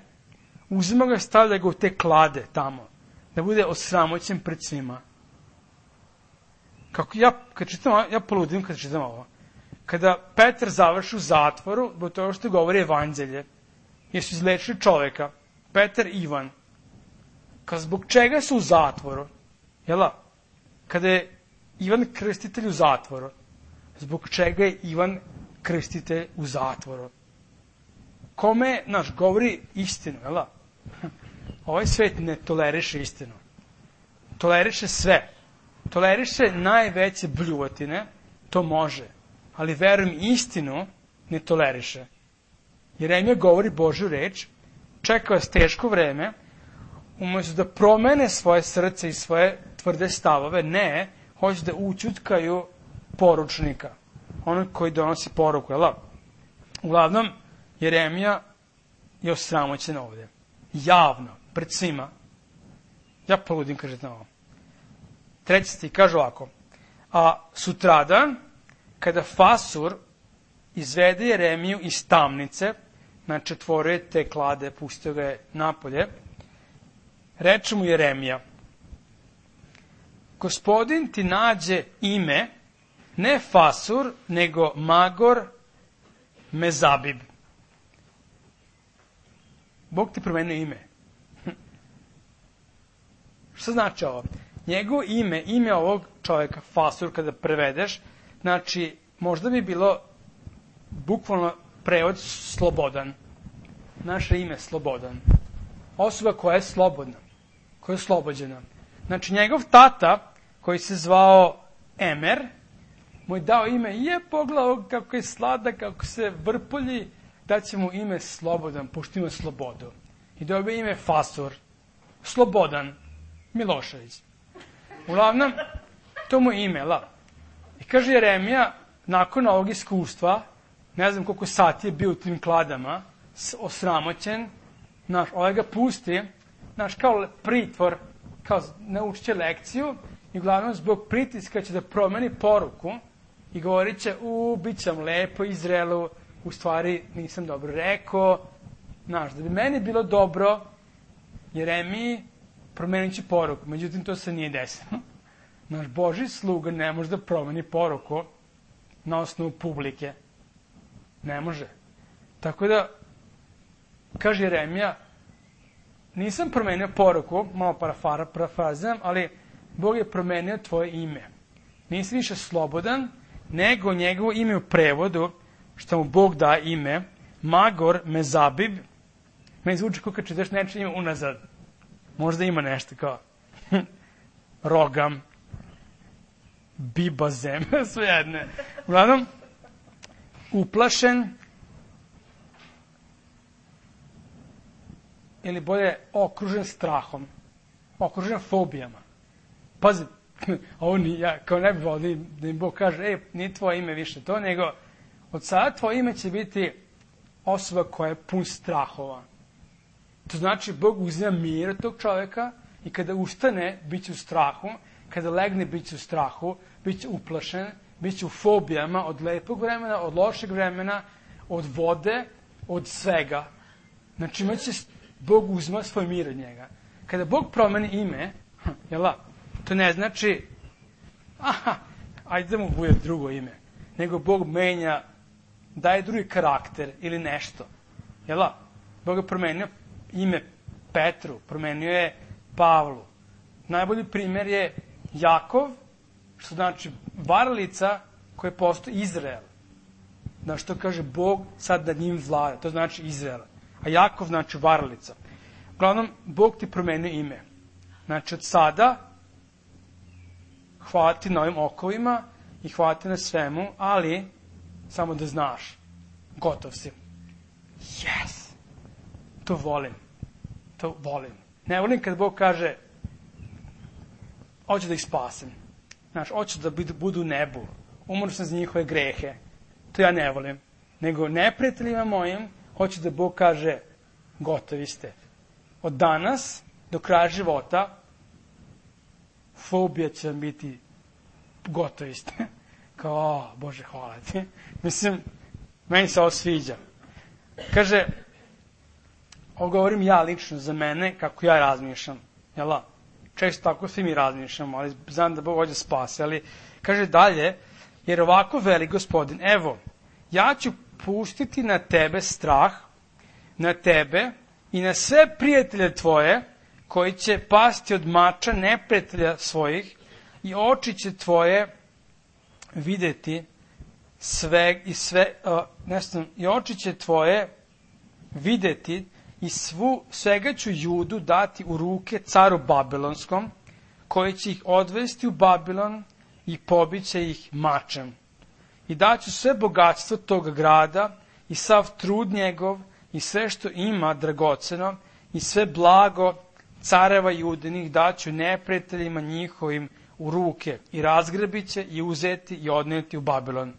Uzima ga i stavlja ga u te klade tamo. Da bude osramoćen pred svima. Kako ja, kad čitam ovo, ja poludim kad čitam ovo. Kada Petar završi u zatvoru, zbog toga što govori evanđelje, jer su izlečili čoveka, Petar i Ivan, kad zbog čega su u zatvoru, jel? Kada je Ivan Krstitelj u zatvoru, zbog čega je Ivan Krstitelj u zatvoru? Kome, znaš, govori istinu, jel? Ovaj svet ne toleriše istinu. Toleriše sve. Toleriše najveće bljuvotine, to može. Ali verujem, istinu ne toleriše. Jeremija govori Božju reč, čeka vas teško vreme, umesto da promene svoje srce i svoje tvrde stavove, ne, hoće da učutkaju poručnika, onog koji donosi poruku, jel? Uglavnom, Jeremija je osramoćen ovde. Javno, pred svima. Ja poludim, kažete na ovo. Treći stih kaže ovako. A sutradan, kada Fasur izvede Jeremiju iz tamnice, znači otvorio je te klade, pustio ga je napolje, reče mu Jeremija, Gospodin ti nađe ime, ne Fasur, nego Magor Mezabib. Bog ti promenio ime. Šta znači ovo? Njegovo ime, ime ovog čovjeka, Fasur, kada prevedeš, znači, možda bi bilo bukvalno prevod slobodan. Naše ime Slobodan. Osoba koja je slobodna, koja je oslobođena. Znači, njegov tata, koji se zvao Emer, mu je dao ime, je pogledao kako je sladak, kako se vrpolji, da će mu ime Slobodan, pošto ima slobodu. I dobio ime Fasur, Slobodan Milošević. Uglavnom, to mu je ime, la. I kaže Jeremija, nakon ovog iskustva, ne znam koliko sati je bio u tim kladama, osramoćen, znaš, ovaj ga pusti, znaš, kao pritvor, kao naučit će lekciju, i uglavnom zbog pritiska će da promeni poruku i govorit će, u, bit ćam lepo Izraelu, u stvari nisam dobro rekao, znaš, da bi meni bilo dobro, Jeremiji promenit će poruku, međutim to se nije desilo. Naš Božji sluga ne može da promeni poruku na osnovu publike. Ne može. Tako da, kaže Jeremija, nisam promenio poruku, malo parafara, parafrazam, ali Bog je promenio tvoje ime. Nisi više slobodan, nego njegovo ime u prevodu, što mu Bog da ime, Magor Mezabib, me zvuči kao kad čitaš nečije ime unazad. Možda ima nešto kao Rogam, Bibazem, sve jedne. Uglavnom, uplašen, ili bolje okružen strahom, okružen fobijama. Pazi, ovo ni, ja kao ne bi volio da im Bog kaže, ej, nije tvoje ime više to, nego od sada tvoje ime će biti osoba koja je pun strahova. To znači, Bog uzima mir od tog čoveka i kada ustane, bit će u strahu, kada legne, bit će u strahu, bit će uplašen, bit će u fobijama od lepog vremena, od lošeg vremena, od vode, od svega. Znači, imaće, Bog uzima svoj mir od njega. Kada Bog promeni ime, jela, to ne znači, aha, ajde da mu bude drugo ime, nego Bog menja, daje drugi karakter ili nešto. Jela, Bog je promenio ime Petru, promenio je Pavlu. Najbolji primjer je Jakov, što znači varalica koja postoji Izrael. Na što kaže Bog sad nad njim vlada, to znači Izrael. A Jakov znači varalica. Uglavnom, Bog ti promenio ime. Znači, od sada hvala ti na ovim okovima i hvala ti na svemu, ali samo da znaš, gotov si. Yes! To volim. To volim. Ne volim kad Bog kaže, hoću da ih spasim. Znaš, hoću da budu u nebu. Umro sam za njihove grehe. To ja ne volim. Nego neprijateljima mojim, hoću da Bog kaže, gotovi ste. Od danas do kraja života, fobija će vam biti, gotovi ste. Kao, o, Bože, hvala ti. Mislim, meni se ovo sviđa. Kaže, ovo govorim ja lično za mene, kako ja razmišljam. Jela? Često tako svi mi razmišljamo, ali znam da Bog hoće spase. Ali, kaže dalje, jer ovako veli Gospodin, evo, ja ću pustiti na tebe strah, na tebe i na sve prijatelje tvoje, koji će pasti od mača neprijatelja svojih i oči će tvoje videti sve i sve, uh, nešto, i oči će tvoje videti i svu, svega ću Judu dati u ruke caru Babilonskom, koji će ih odvesti u Babilon i pobiće ih mačem. I daću sve bogatstvo toga grada i sav trud njegov i sve što ima dragoceno i sve blago careva Judinih daću neprijateljima njihovim u ruke i razgrabit će i uzeti i odneti u Babilon.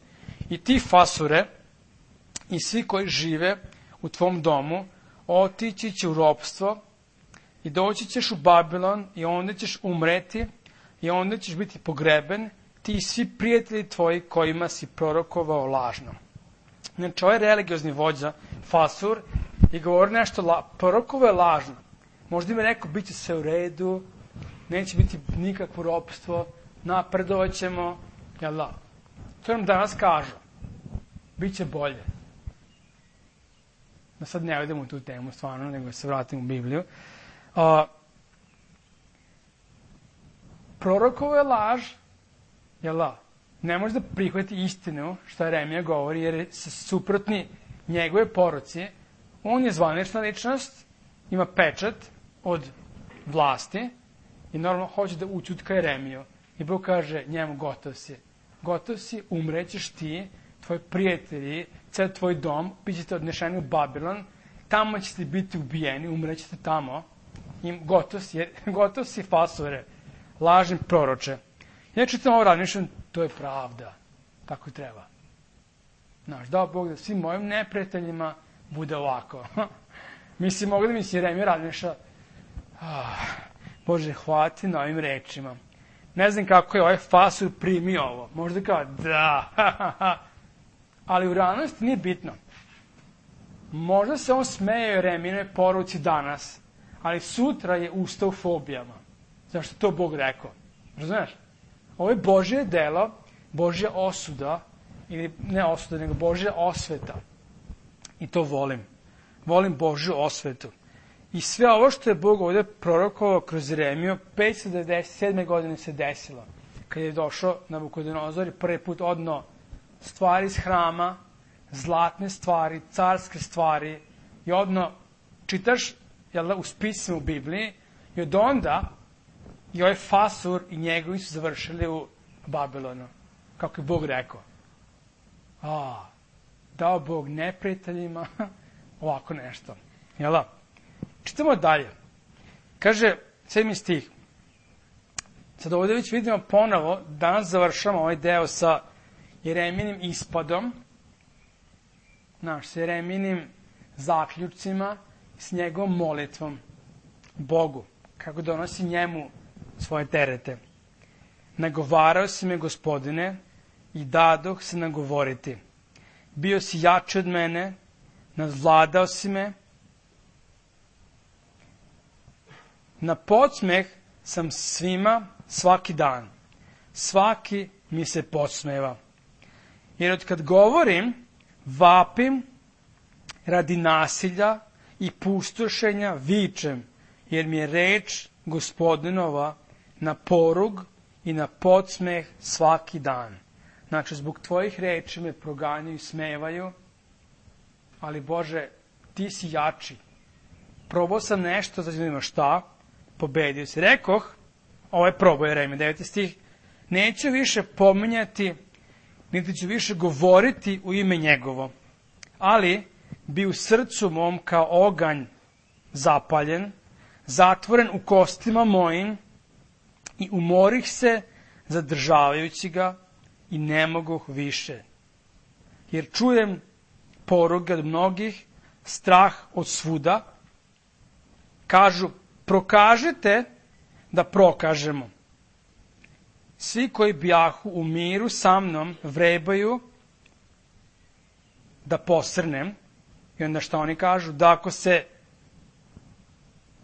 I ti fasure i svi koji žive u tvom domu otići će u ropstvo i doći ćeš u Babilon i onda ćeš umreti i onda ćeš biti pogreben, ti i svi prijatelji tvoji kojima si prorokovao lažno. Znači, ovaj religiozni vođa, Fasur, i govori nešto, la, prorokovo je lažno. Možda ima rekao, bit će sve u redu, neće biti nikakvo ropstvo, napredovat ćemo, jel da? To nam danas kažu. Biće bolje. Da sad ne idemo u tu temu, stvarno, nego se vratim u Bibliju. A, prorokovo je laž, jel da? Ne može da prihvati istinu, što Jeremija govori, jer je suprotni njegove poruci. On je zvanična ličnost, ima pečat od vlasti i normalno hoće da učutka Jeremiju. I Bog kaže njemu, gotov si. Gotov si, umrećeš ti, tvoji prijatelji, cel tvoj dom, bit ćete odnešeni u Babilon, tamo ćete biti ubijeni, umrećete tamo. I gotov si, gotov si, Fasure, lažni proroče. Ja čitam ovo razmišljam, to je pravda. Tako i treba. Znaš, dao Bog da svim mojim neprijateljima bude ovako. Mislim, mogu da mi se Jeremija razmišlja, ah, Bože, hvala ti na ovim rečima. Ne znam kako je ovaj Fasur primio ovo. Možda kao, da, ali u realnosti nije bitno. Možda se on smeje Jeremijinoj poruci danas, ali sutra je ustao u fobijama. Zašto to Bog rekao? Razumeš? Ovo je Božje delo, Božja osuda, ili ne osuda, nego Božja osveta. I to volim. Volim Božju osvetu. I sve ovo što je Bog ovdje prorokovao kroz Jeremiju, petsto devedeset sedme godine se desilo. Kad je došao Nabukodonozor i prvi put odno stvari iz hrama, zlatne stvari, carske stvari, i odno čitaš, jel da, u spisima u Bibliji, i od onda i ovaj Fasur i njegovi su završili u Babilonu. Kako je Bog rekao. A, dao Bog neprijateljima ovako nešto. Jel da? Čitamo dalje. Kaže, sedmi stih. Sad ovdje već vidimo ponovo, danas završamo ovaj deo sa Jereminim ispadom, naš, s Jereminim zaključcima, s njegovom molitvom Bogu, kako donosi njemu svoje terete. Nagovarao si me, Gospodine, i dadoh se nagovoriti. Bio si jači od mene, nadvladao si me. Na podsmeh sam svima svaki dan. Svaki mi se podsmeva. Jer od kad govorim, vapim radi nasilja i pustošenja vičem, jer mi je reč Gospodinova na porug i na podsmeh svaki dan. Znači, zbog tvojih reči me proganjaju i smevaju, ali Bože, ti si jači. Probao sam nešto, znači ima šta, pobedio si. Rekoh, ovo je probao Jeremija, deveti stih, neću više pominjati, niti ću više govoriti u ime njegovo, ali bi u srcu mom kao oganj zapaljen, zatvoren u kostima mojim i umorih se zadržavajući ga i ne mogu više. Jer čujem poruge od mnogih, strah od svuda, kažu, prokažite da prokažemo. Svi koji bjahu u miru sa mnom vrebaju da posrnem. I onda što oni kažu? Da ako se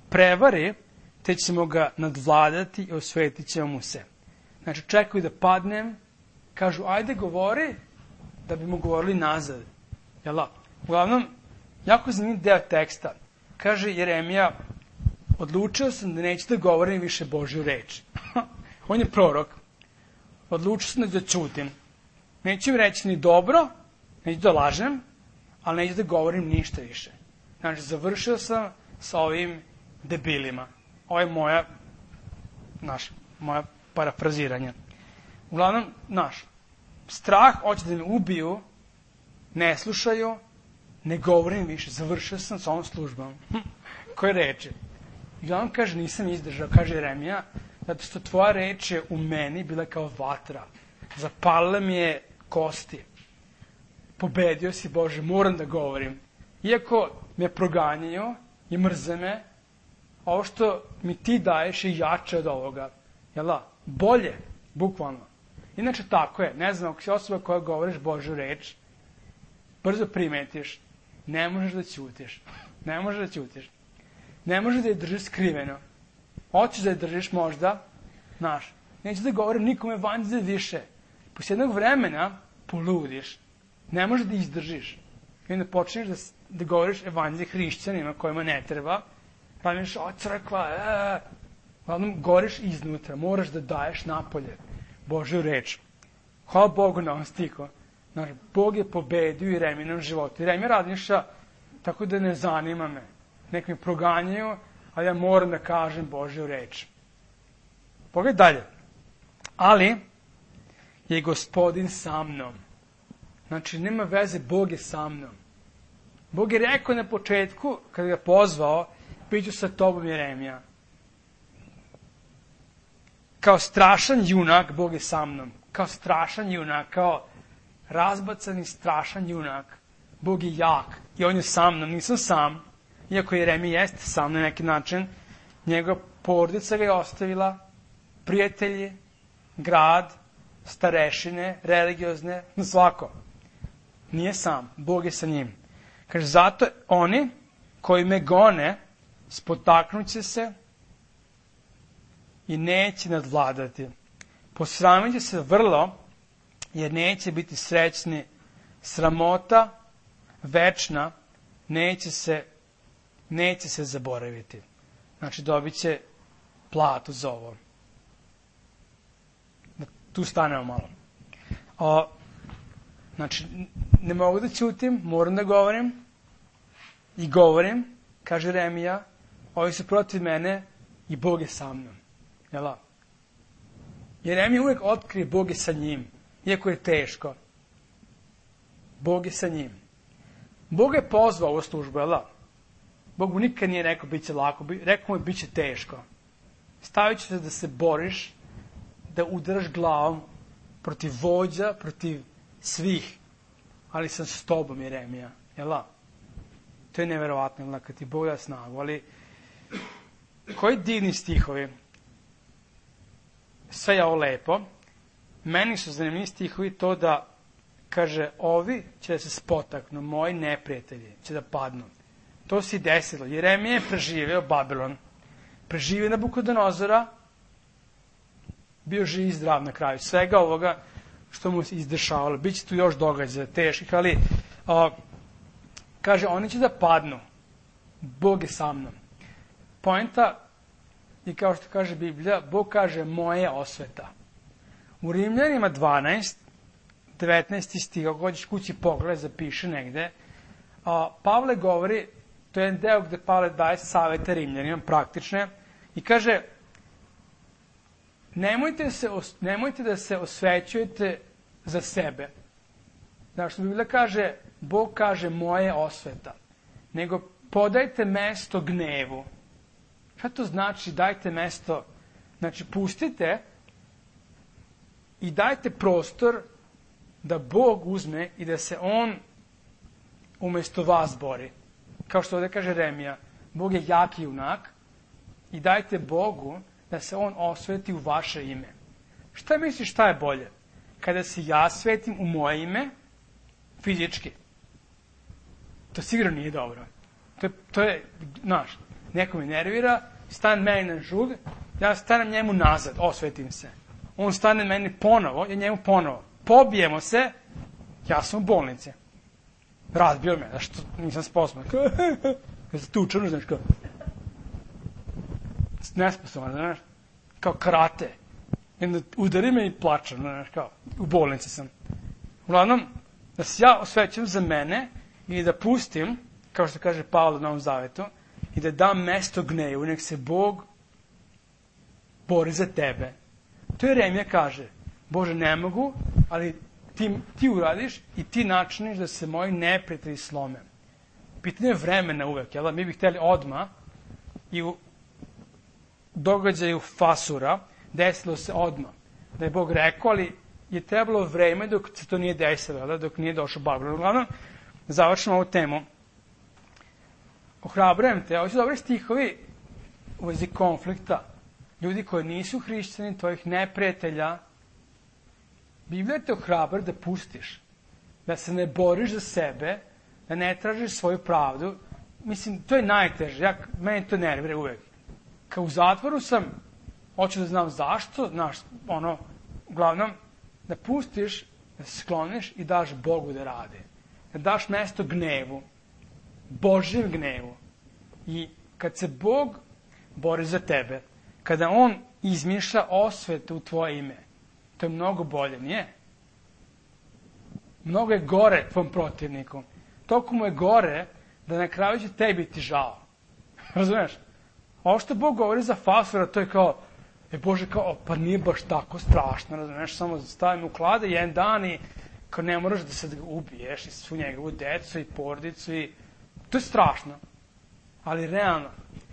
prevari, te ćemo ga nadvladati i osvetit ćemo mu se. Znači, čekaju da padnem, kažu, ajde govori, da bi mu govorili nazad. Jel' uglavnom, jako zanimljiv deo teksta. Kaže Jeremija, odlučio sam da neću da govorim više Božju reč. On je prorok. Odlučio sam da ćutim. Neću im reći ni dobro, neću da lažem, ali neću da govorim ništa više. Znači, završio sam sa ovim debilima. Ovo je moja, naš, moja parafraziranja. Uglavnom, naš, strah, hoće da me ubiju, ne slušaju, ne govorim više, završio sam sa ovom službom. Koje reči? I uglavnom kaže, nisam izdržao, kaže Jeremija, zato što tvoja reč je u meni bila kao vatra. Zapalila mi je kosti. Pobedio si, Bože, moram da govorim. Iako me proganjaju i mrze me, ovo što mi ti daješ je jače od ovoga. Jel da? Bolje, bukvalno. Inače tako je. Ne znam, ako si osoba koja govoriš Božju reč, brzo primetiš, ne možeš da ćutiš. Ne možeš da ćutiš. Ne možeš da je držiš skriveno. Hoćeš da je držiš možda, znaš, neću da govorim nikome evanđelje više. Posle jednog vremena poludiš. Ne možeš da izdržiš. I onda počneš da, da govoriš evanđelje hrišćanima kojima ne treba. Praviš, o crkva, eee. Uglavnom, goriš iznutra. Moraš da daješ napolje Božju reč. Hvala Bogu na ovom stiku. Znaš, Bog je pobedio Jeremijinom životu. Jeremija razmišlja tako da ne zanima me. Nek me proganjaju, a ja moram da kažem Božju reč. Pogledaj dalje. Ali je Gospodin sa mnom. Znači, nema veze, Bog je sa mnom. Bog je rekao na početku, kada ga pozvao, biću sa tobom, Jeremija. Kao strašan junak, Bog je sa mnom. Kao strašan junak, kao razbacani strašan junak. Bog je jak i on je sa mnom, nisam sam. Iako Jeremija jeste sa mnom na neki način, njegova porodica ga je ostavila, prijatelji, grad, starešine, religiozne, svako. Nije sam, Bog je sa njim. Kaže, zato oni koji me gone, spotaknuće se i neće nadvladati. Posramit će se vrlo, jer neće biti srećni, sramota večna neće se, neće se zaboraviti. Znači, dobit će platu za ovo. Tu stanemo malo. O, znači, ne mogu da ćutim, moram da govorim. I govorim, kaže Jeremija, ovi su protiv mene i Bog je sa mnom. Jel' Jeremija uvijek otkrije Bog je sa njim, iako je teško. Bog je sa njim. Bog je pozvao ovu službu, jel' Bog mu nikad nije rekao bit će lako, rekao mu je bit će teško. Stavit ću te da se boriš, da udaraš glavom protiv vođa, protiv svih, ali sam s tobom, Jeremija, jel' To je neverovatno, jel' kad ti Bog da snagu, ali koji divni stihovi. Sve je ovo lepo. Meni su zanimljivi stihovi to da, kaže, ovi će da se spotaknu, moji neprijatelji će da padnu. To se i desilo. Jeremija je preživio Babilon, preživio Nabukodonozora, bio živ i zdrav na kraju svega ovoga što mu se izdešavalo. Biće tu još događaja teških, ali o, kaže, oni će da padnu. Bog je sa mnom. Poenta je, kao što kaže Biblija, Bog kaže moje osveta. U Rimljanima dvanaest, devetnaest stih, ako hoćeš kući pogled, zapiše negde, a, Pavle govori, to je jedan deo gde Pavle daje savete Rimljanima, praktične, i kaže, nemojte, se, nemojte da se osvećujete za sebe. Znači, što Biblija kaže, Bog kaže moje osveta, nego podajte mesto gnevu. Šta to znači dajte mesto? Znači, pustite i dajte prostor da Bog uzme i da se On umesto vas bori. Kao što ovdje kaže Jeremija, Bog je jaki junak i dajte Bogu da se On osveti u vaše ime. Šta misliš šta je bolje? Kada se ja svetim u moje ime, fizički. To sigurno nije dobro. To je, to je znaš, neko me nervira, stane meni na žug, ja stanem njemu nazad, osvetim se. On stane meni ponovo, ja njemu ponovo. Pobijemo se, ja sam u bolnici. Razbio me, zašto nisam sposoban. Kada se tučano, znaš, kao nesposoban, znaš, kao karate. Jedno udari me i plačem, znaš, kao, u bolnici sam. Uglavnom, da se ja osvećam za mene i da pustim, kao što kaže Pavle u Novom Zavetu, i da dam mesto gnevu, nek se Bog bori za tebe. To je Jeremija kaže, Bože, ne mogu, ali ti, ti uradiš i ti načiniš da se moji neprijatelji slome. Pitanje je vremena uvek, jel? Mi bi hteli odmah i u događaju Fasura desilo se odmah. Da je Bog rekao, ali je trebalo vreme dok se to nije desilo, jel? Dok nije došao Babilon. Uglavnom, završimo ovu temu. Ohrabrujem te, ovo su dobri stihovi u vezi konflikta. Ljudi koji nisu hrišćani, tvojih neprijatelja, Biblija te ohrabra da pustiš, da se ne boriš za sebe, da ne tražiš svoju pravdu. Mislim, to je najteže, ja, meni to nervira uvek. Kao u zatvoru sam, hoću da znam zašto, znaš, ono, uglavnom, da pustiš, da se skloniš i daš Bogu da radi. Da daš mesto gnevu, Božjem gnevu. I kad se Bog bori za tebe, kada On izmišlja osvetu u tvoje ime, to je mnogo bolje, nije? Mnogo je gore tvom protivniku. Toliko mu je gore da na kraju će tebi ti žao. Razumeš? Ovo što Bog govori za Fasura, to je kao, e Bože, kao, pa nije baš tako strašno, razumeš? Samo stavim u klade jedan dan i kao ne moraš da se ubiješ i svu njegovu decu i porodicu i to je strašno. Ali realno,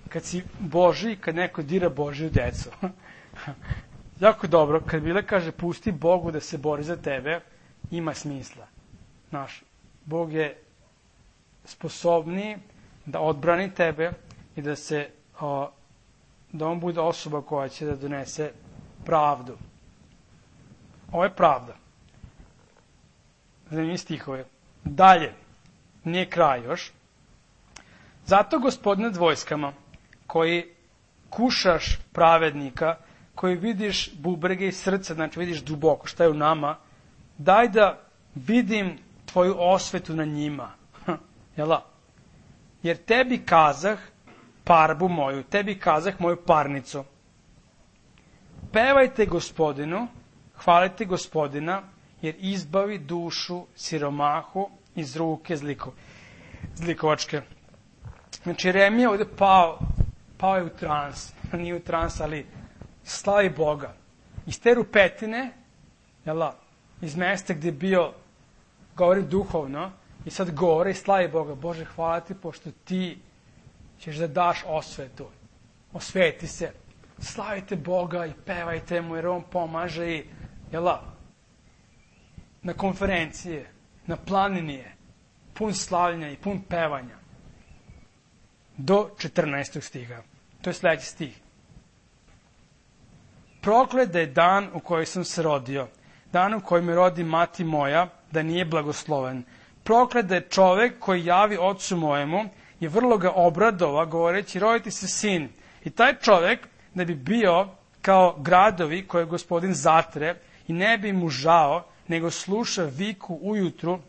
kad si Boži, kad neko dira Božiju decu, jako dobro, kad Biblia kaže pusti Bogu da se bori za tebe, ima smisla. Znaš, Bog je sposobniji da odbrani tebe i da se, o, da on bude osoba koja će da donese pravdu. Ovo je pravda. Zanimljivi stihove. Dalje, nije kraj još. Zato, Gospodine nad vojskama, koji kušaš pravednika, koji vidiš bubrege i srca, znači vidiš duboko šta je u nama, daj da vidim tvoju osvetu na njima. Jel' Jer tebi kazah parbu moju, tebi kazah moju parnicu. Pevajte Gospodinu, hvalite Gospodina, jer izbavi dušu siromahu iz ruke zliko, zlikovačke. Znači, Jeremija ovde pao, pao je u trans, nije u trans, ali slavi Boga. Iz te rupetine, jel' iz mesta gde je bio, govori duhovno, i sad govore i slavi Boga. Bože, hvala ti, pošto ti ćeš da daš osvetu. Osveti se. Slavite Boga i pevajte mu, jer on pomaže i, jel' na konferencije, na planinije, pun slavljenja i pun pevanja. Do četrnaestog stiha. To je sledeći stih. Proklet da je dan u koji sam se rodio, dan u koji me rodi mati moja, da nije blagosloven. Proklet da je čovek koji javi ocu mojemu i vrlo ga obradova, govoreći, roditi se sin. I taj čovek da bi bio kao gradovi koje gospodin zatre i ne bi mu žao, nego sluša viku ujutru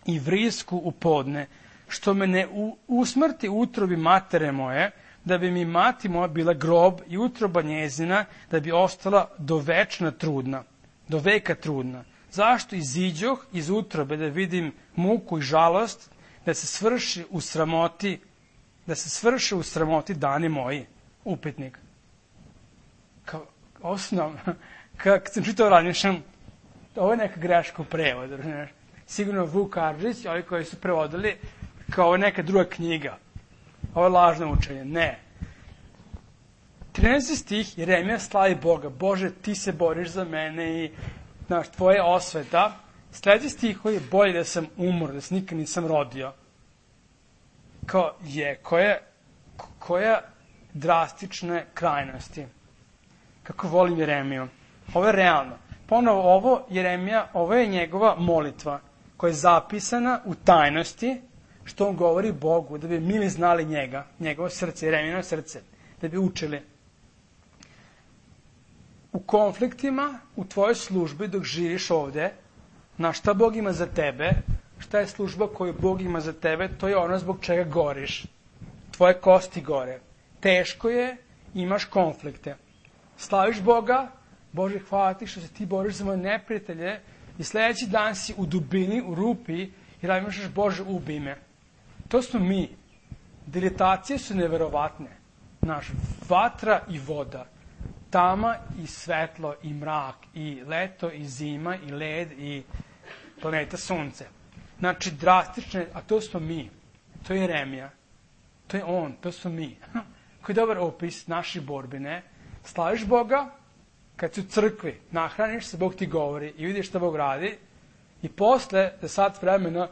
i vrisku u podne, što me ne usmrti utrobi matere moje, da bi mi mati moja bila grob i utroba njezina, da bi ostala do večna trudna, do veka trudna. Zašto iziđoh iz utrobe da vidim muku i žalost, da se svrši u sramoti, da se svrši u sramoti dani moji? Upitnik. Kao osnov, kad sam čitao razmišljam, ovo je neka greška u prevodu. Sigurno Vuk Karadžić, ovi koji su prevodili, kao ovo je neka druga knjiga. Ovo je lažno učenje. Ne. trinaesti stih, Jeremija slavi Boga. Bože, ti se boriš za mene i znaš, tvoje osveta. Sljedeći stih koji je bolje da sam umro, da se nikad nisam rodio. Kao je, koje, koja drastične krajnosti. Kako volim Jeremiju. Ovo je realno. Ponovo ovo, Jeremija, ovo je njegova molitva koja je zapisana u tajnosti, što on govori Bogu, da bi mi znali njega, njegovo srce, Jeremijino srce, da bi učili. U konfliktima, u tvojoj službi, dok živiš ovde, na šta Bog ima za tebe, šta je služba koju Bog ima za tebe, to je ono zbog čega goriš. Tvoje kosti gore. Teško je, imaš konflikte. Slaviš Boga, Bože, hvala ti što se ti boriš za moje neprijatelje i sledeći dan si u dubini, u rupi i razmišljaš, Bože, ubi me. To smo mi. Diletacije su neverovatne. Naš vatra i voda. Tama i svetlo i mrak i leto i zima i led i planeta sunce. Znači, drastične, a to smo mi. To je Jeremija. To je on, to smo mi. Koji je dobar opis naših borbi, ne? Slaviš Boga, kad si u crkvi, nahraniš se, Bog ti govori i vidiš šta Bog radi i posle, za sat vremena,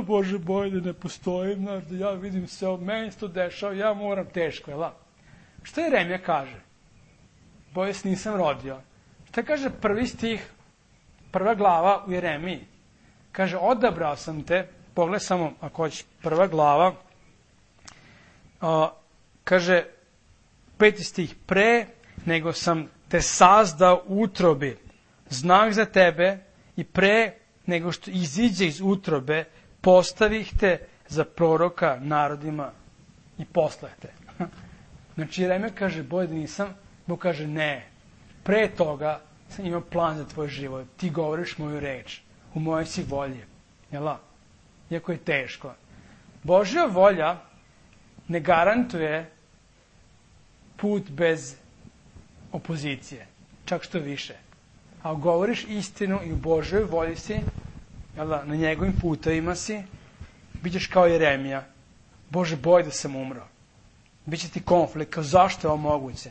Bože, boj da ne postojim, znaš, da ja vidim sve, meni se to dešava, ja moram teško, jel' Šta Jeremija kaže? Boje se nisam rodio. Šta kaže prvi stih, prva glava u Jeremiji? Kaže, odabrao sam te, pogledaj samo, ako hoćeš, prva glava, a, kaže, peti stih, pre nego sam te sazdao u utrobi, znak za tebe i pre nego što iziđe iz utrobe, postavih te za proroka narodima i posle te. Znači, Jeremija kaže, boj da nisam, Bog kaže, ne, pre toga sam imao plan za tvoj život, ti govoriš moju reč, u mojoj si volji, jel' Iako je teško. Božja volja ne garantuje put bez opozicije, čak što više. A govoriš istinu i u Božoj volji si, jel' na njegovim putovima si, bit ćeš kao Jeremija. Bože, boj da sam umro. Biće ti konflikt, kao zašto je ovo moguće?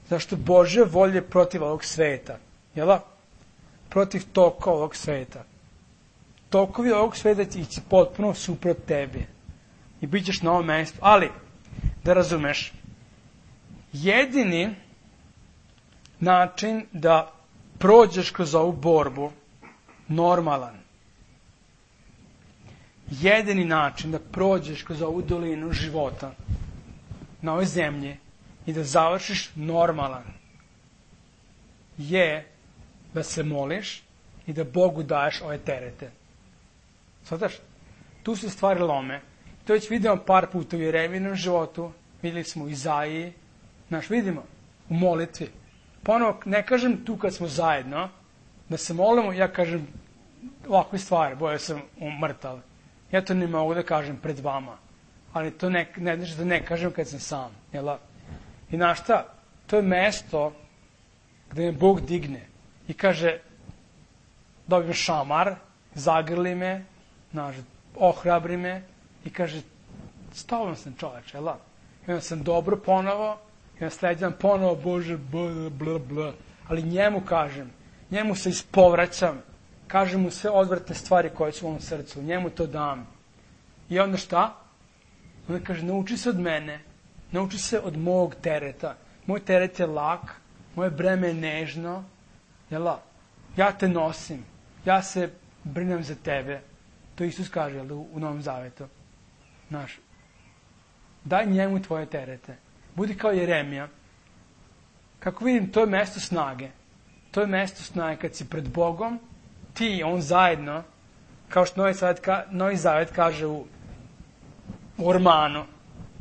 Zašto Božja volja je protiv ovog sveta, jel' protiv toka ovog sveta. Tokovi ovog sveta će ići potpuno suprot tebi. I bit ćeš na ovom mestu. Ali, da razumeš, jedini način da prođeš kroz ovu borbu, normalan, jedini način da prođeš kroz ovu dolinu života na ovoj zemlji i da završiš normalan, je da se moliš i da Bogu daješ ove terete. Svataš? Tu se stvari lome. To već vidimo par puta u Jeremijinom životu, videli smo u Izaiji, znaš, vidimo u molitvi. Ponovo, ne kažem tu kad smo zajedno, da se molimo, ja kažem ovakve stvari, boja sam umrtal. Ja to ne mogu da kažem pred vama, ali to ne, ne znači da ne kažem kad sam sam. Jel? I znaš šta, to je mesto gde me Bog digne i kaže, dobijem šamar, zagrli me, znaš, ohrabri me i kaže, s tobom sam čoveč, jel? I onda sam dobro ponovo, i onda sledeći ponovo, Bože, bla, bla, bla. Ali njemu kažem, njemu se ispovraćam, kažem mu sve odvratne stvari koje su u ovom srcu, njemu to dam. I onda šta? Onda kaže, nauči se od mene, nauči se od mog tereta. Moj teret je lak, moje breme je nežno, jel? Ja te nosim, ja se brinem za tebe. To Isus kaže, jel, u Novom Zavetu. Znaš, daj njemu tvoje terete. Budi kao Jeremija. Kako vidim, to je mesto snage. To je mesto snage kad si pred Bogom, ti i on zajedno, kao što Novi Zavet, ka, Novi Zavet kaže u, u ormanu,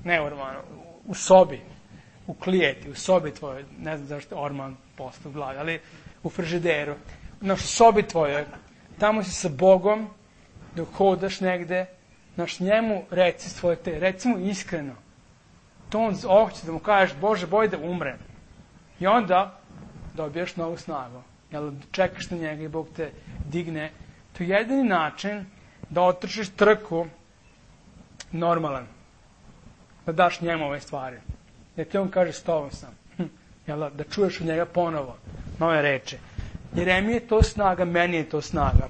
ne u ormanu, u sobi, u klijeti, u sobi tvojoj, ne znam zašto orman postao u glavi, ali u frižideru, na sobi tvojoj, tamo si sa Bogom, dok hodaš negde, naš njemu reci svoje te, reci mu iskreno. To on hoće da mu kažeš, Bože, boj da umrem. I onda dobijaš novu snagu. Jel, čekaš na njega i Bog te digne. To je jedini način da otrčiš trku normalan. Da daš njemu ove stvari. Da ti on kaže, s tobom sam. Jel, da čuješ od njega ponovo nove reče. Jeremije je to snaga, meni je to snaga.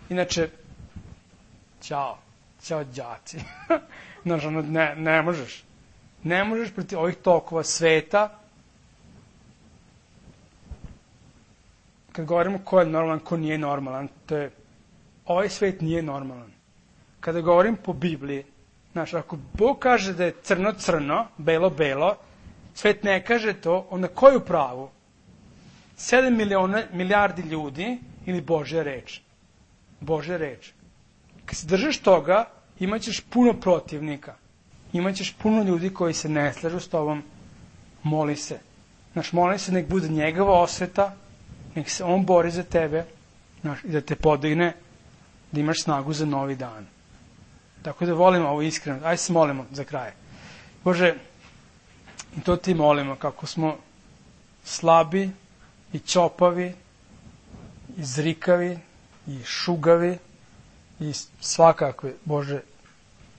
Inače, ćao, ćao đaci. Znaš, ne, ne možeš. Ne možeš protiv ovih tokova sveta. Kad govorimo ko je normalan, ko nije normalan, to je, ovaj svet nije normalan. Kada govorim po Bibliji, znaš, ako Bog kaže da je crno-crno, belo-belo, svet ne kaže to, onda ko je u pravu? Sedam miliona, milijardi ljudi ili Božja reč? Božja reč. Kad se držiš toga, imaćeš puno protivnika. Imaćeš puno ljudi koji se ne slažu s tobom. Moli se. Znaš, moli se, nek bude njegova osveta, nek se on bori za tebe, znaš, i da te podigne, da imaš snagu za novi dan. Tako da volimo ovo iskreno. Ajde se molimo za kraj. Bože, i to ti molimo, kako smo slabi i ćopavi, i zrikavi, i šugavi, i svakakve, Bože,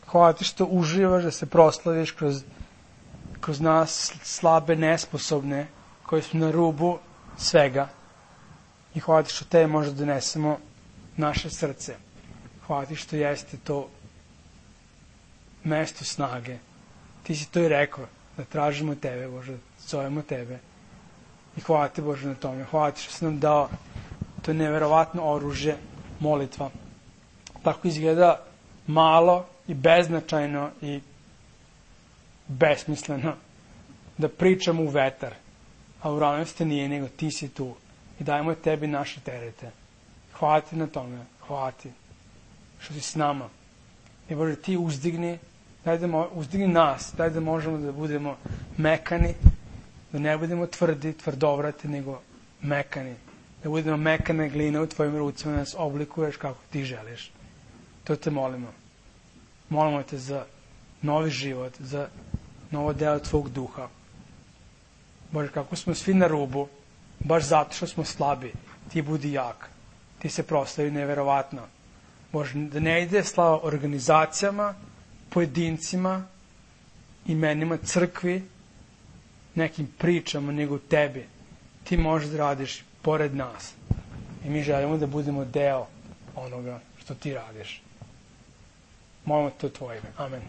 hvala ti što uživaš da se proslaviš kroz, kroz nas slabe, nesposobne, koji smo na rubu svega. I hvala ti što te možda donesemo naše srce. Hvala ti što jeste to mesto snage. Ti si to i rekao, da tražimo tebe, Bože, da zovemo tebe. I hvala ti, Bože, na tome. Hvala ti što si nam dao to neverovatno oružje, molitva. Tako izgleda malo i beznačajno i besmisleno da pričamo u vetar, a u realnosti nije, nego ti si tu i dajemo tebi naše terete. Hvala ti na tome, hvala ti što si s nama. I Bože, ti uzdigni, daj da mo, uzdigni nas, daj da možemo da budemo mekani, da ne budemo tvrdi, tvrdovrati, nego mekani. Da budemo mekane gline u tvojim rucima, da nas oblikuješ kako ti želiš. To te molimo. Molimo te za novi život, za novo delo tvog duha. Bože, kako smo svi na rubu, baš zato što smo slabi, ti budi jak. Ti se proslavi neverovatno. Bože, da ne ide slava organizacijama, pojedincima, imenima crkvi, nekim pričama, nego tebi. Ti možeš da radiš pored nas. I mi želimo da budemo deo onoga što ti radiš. Molimo to tvoje ime. Amen.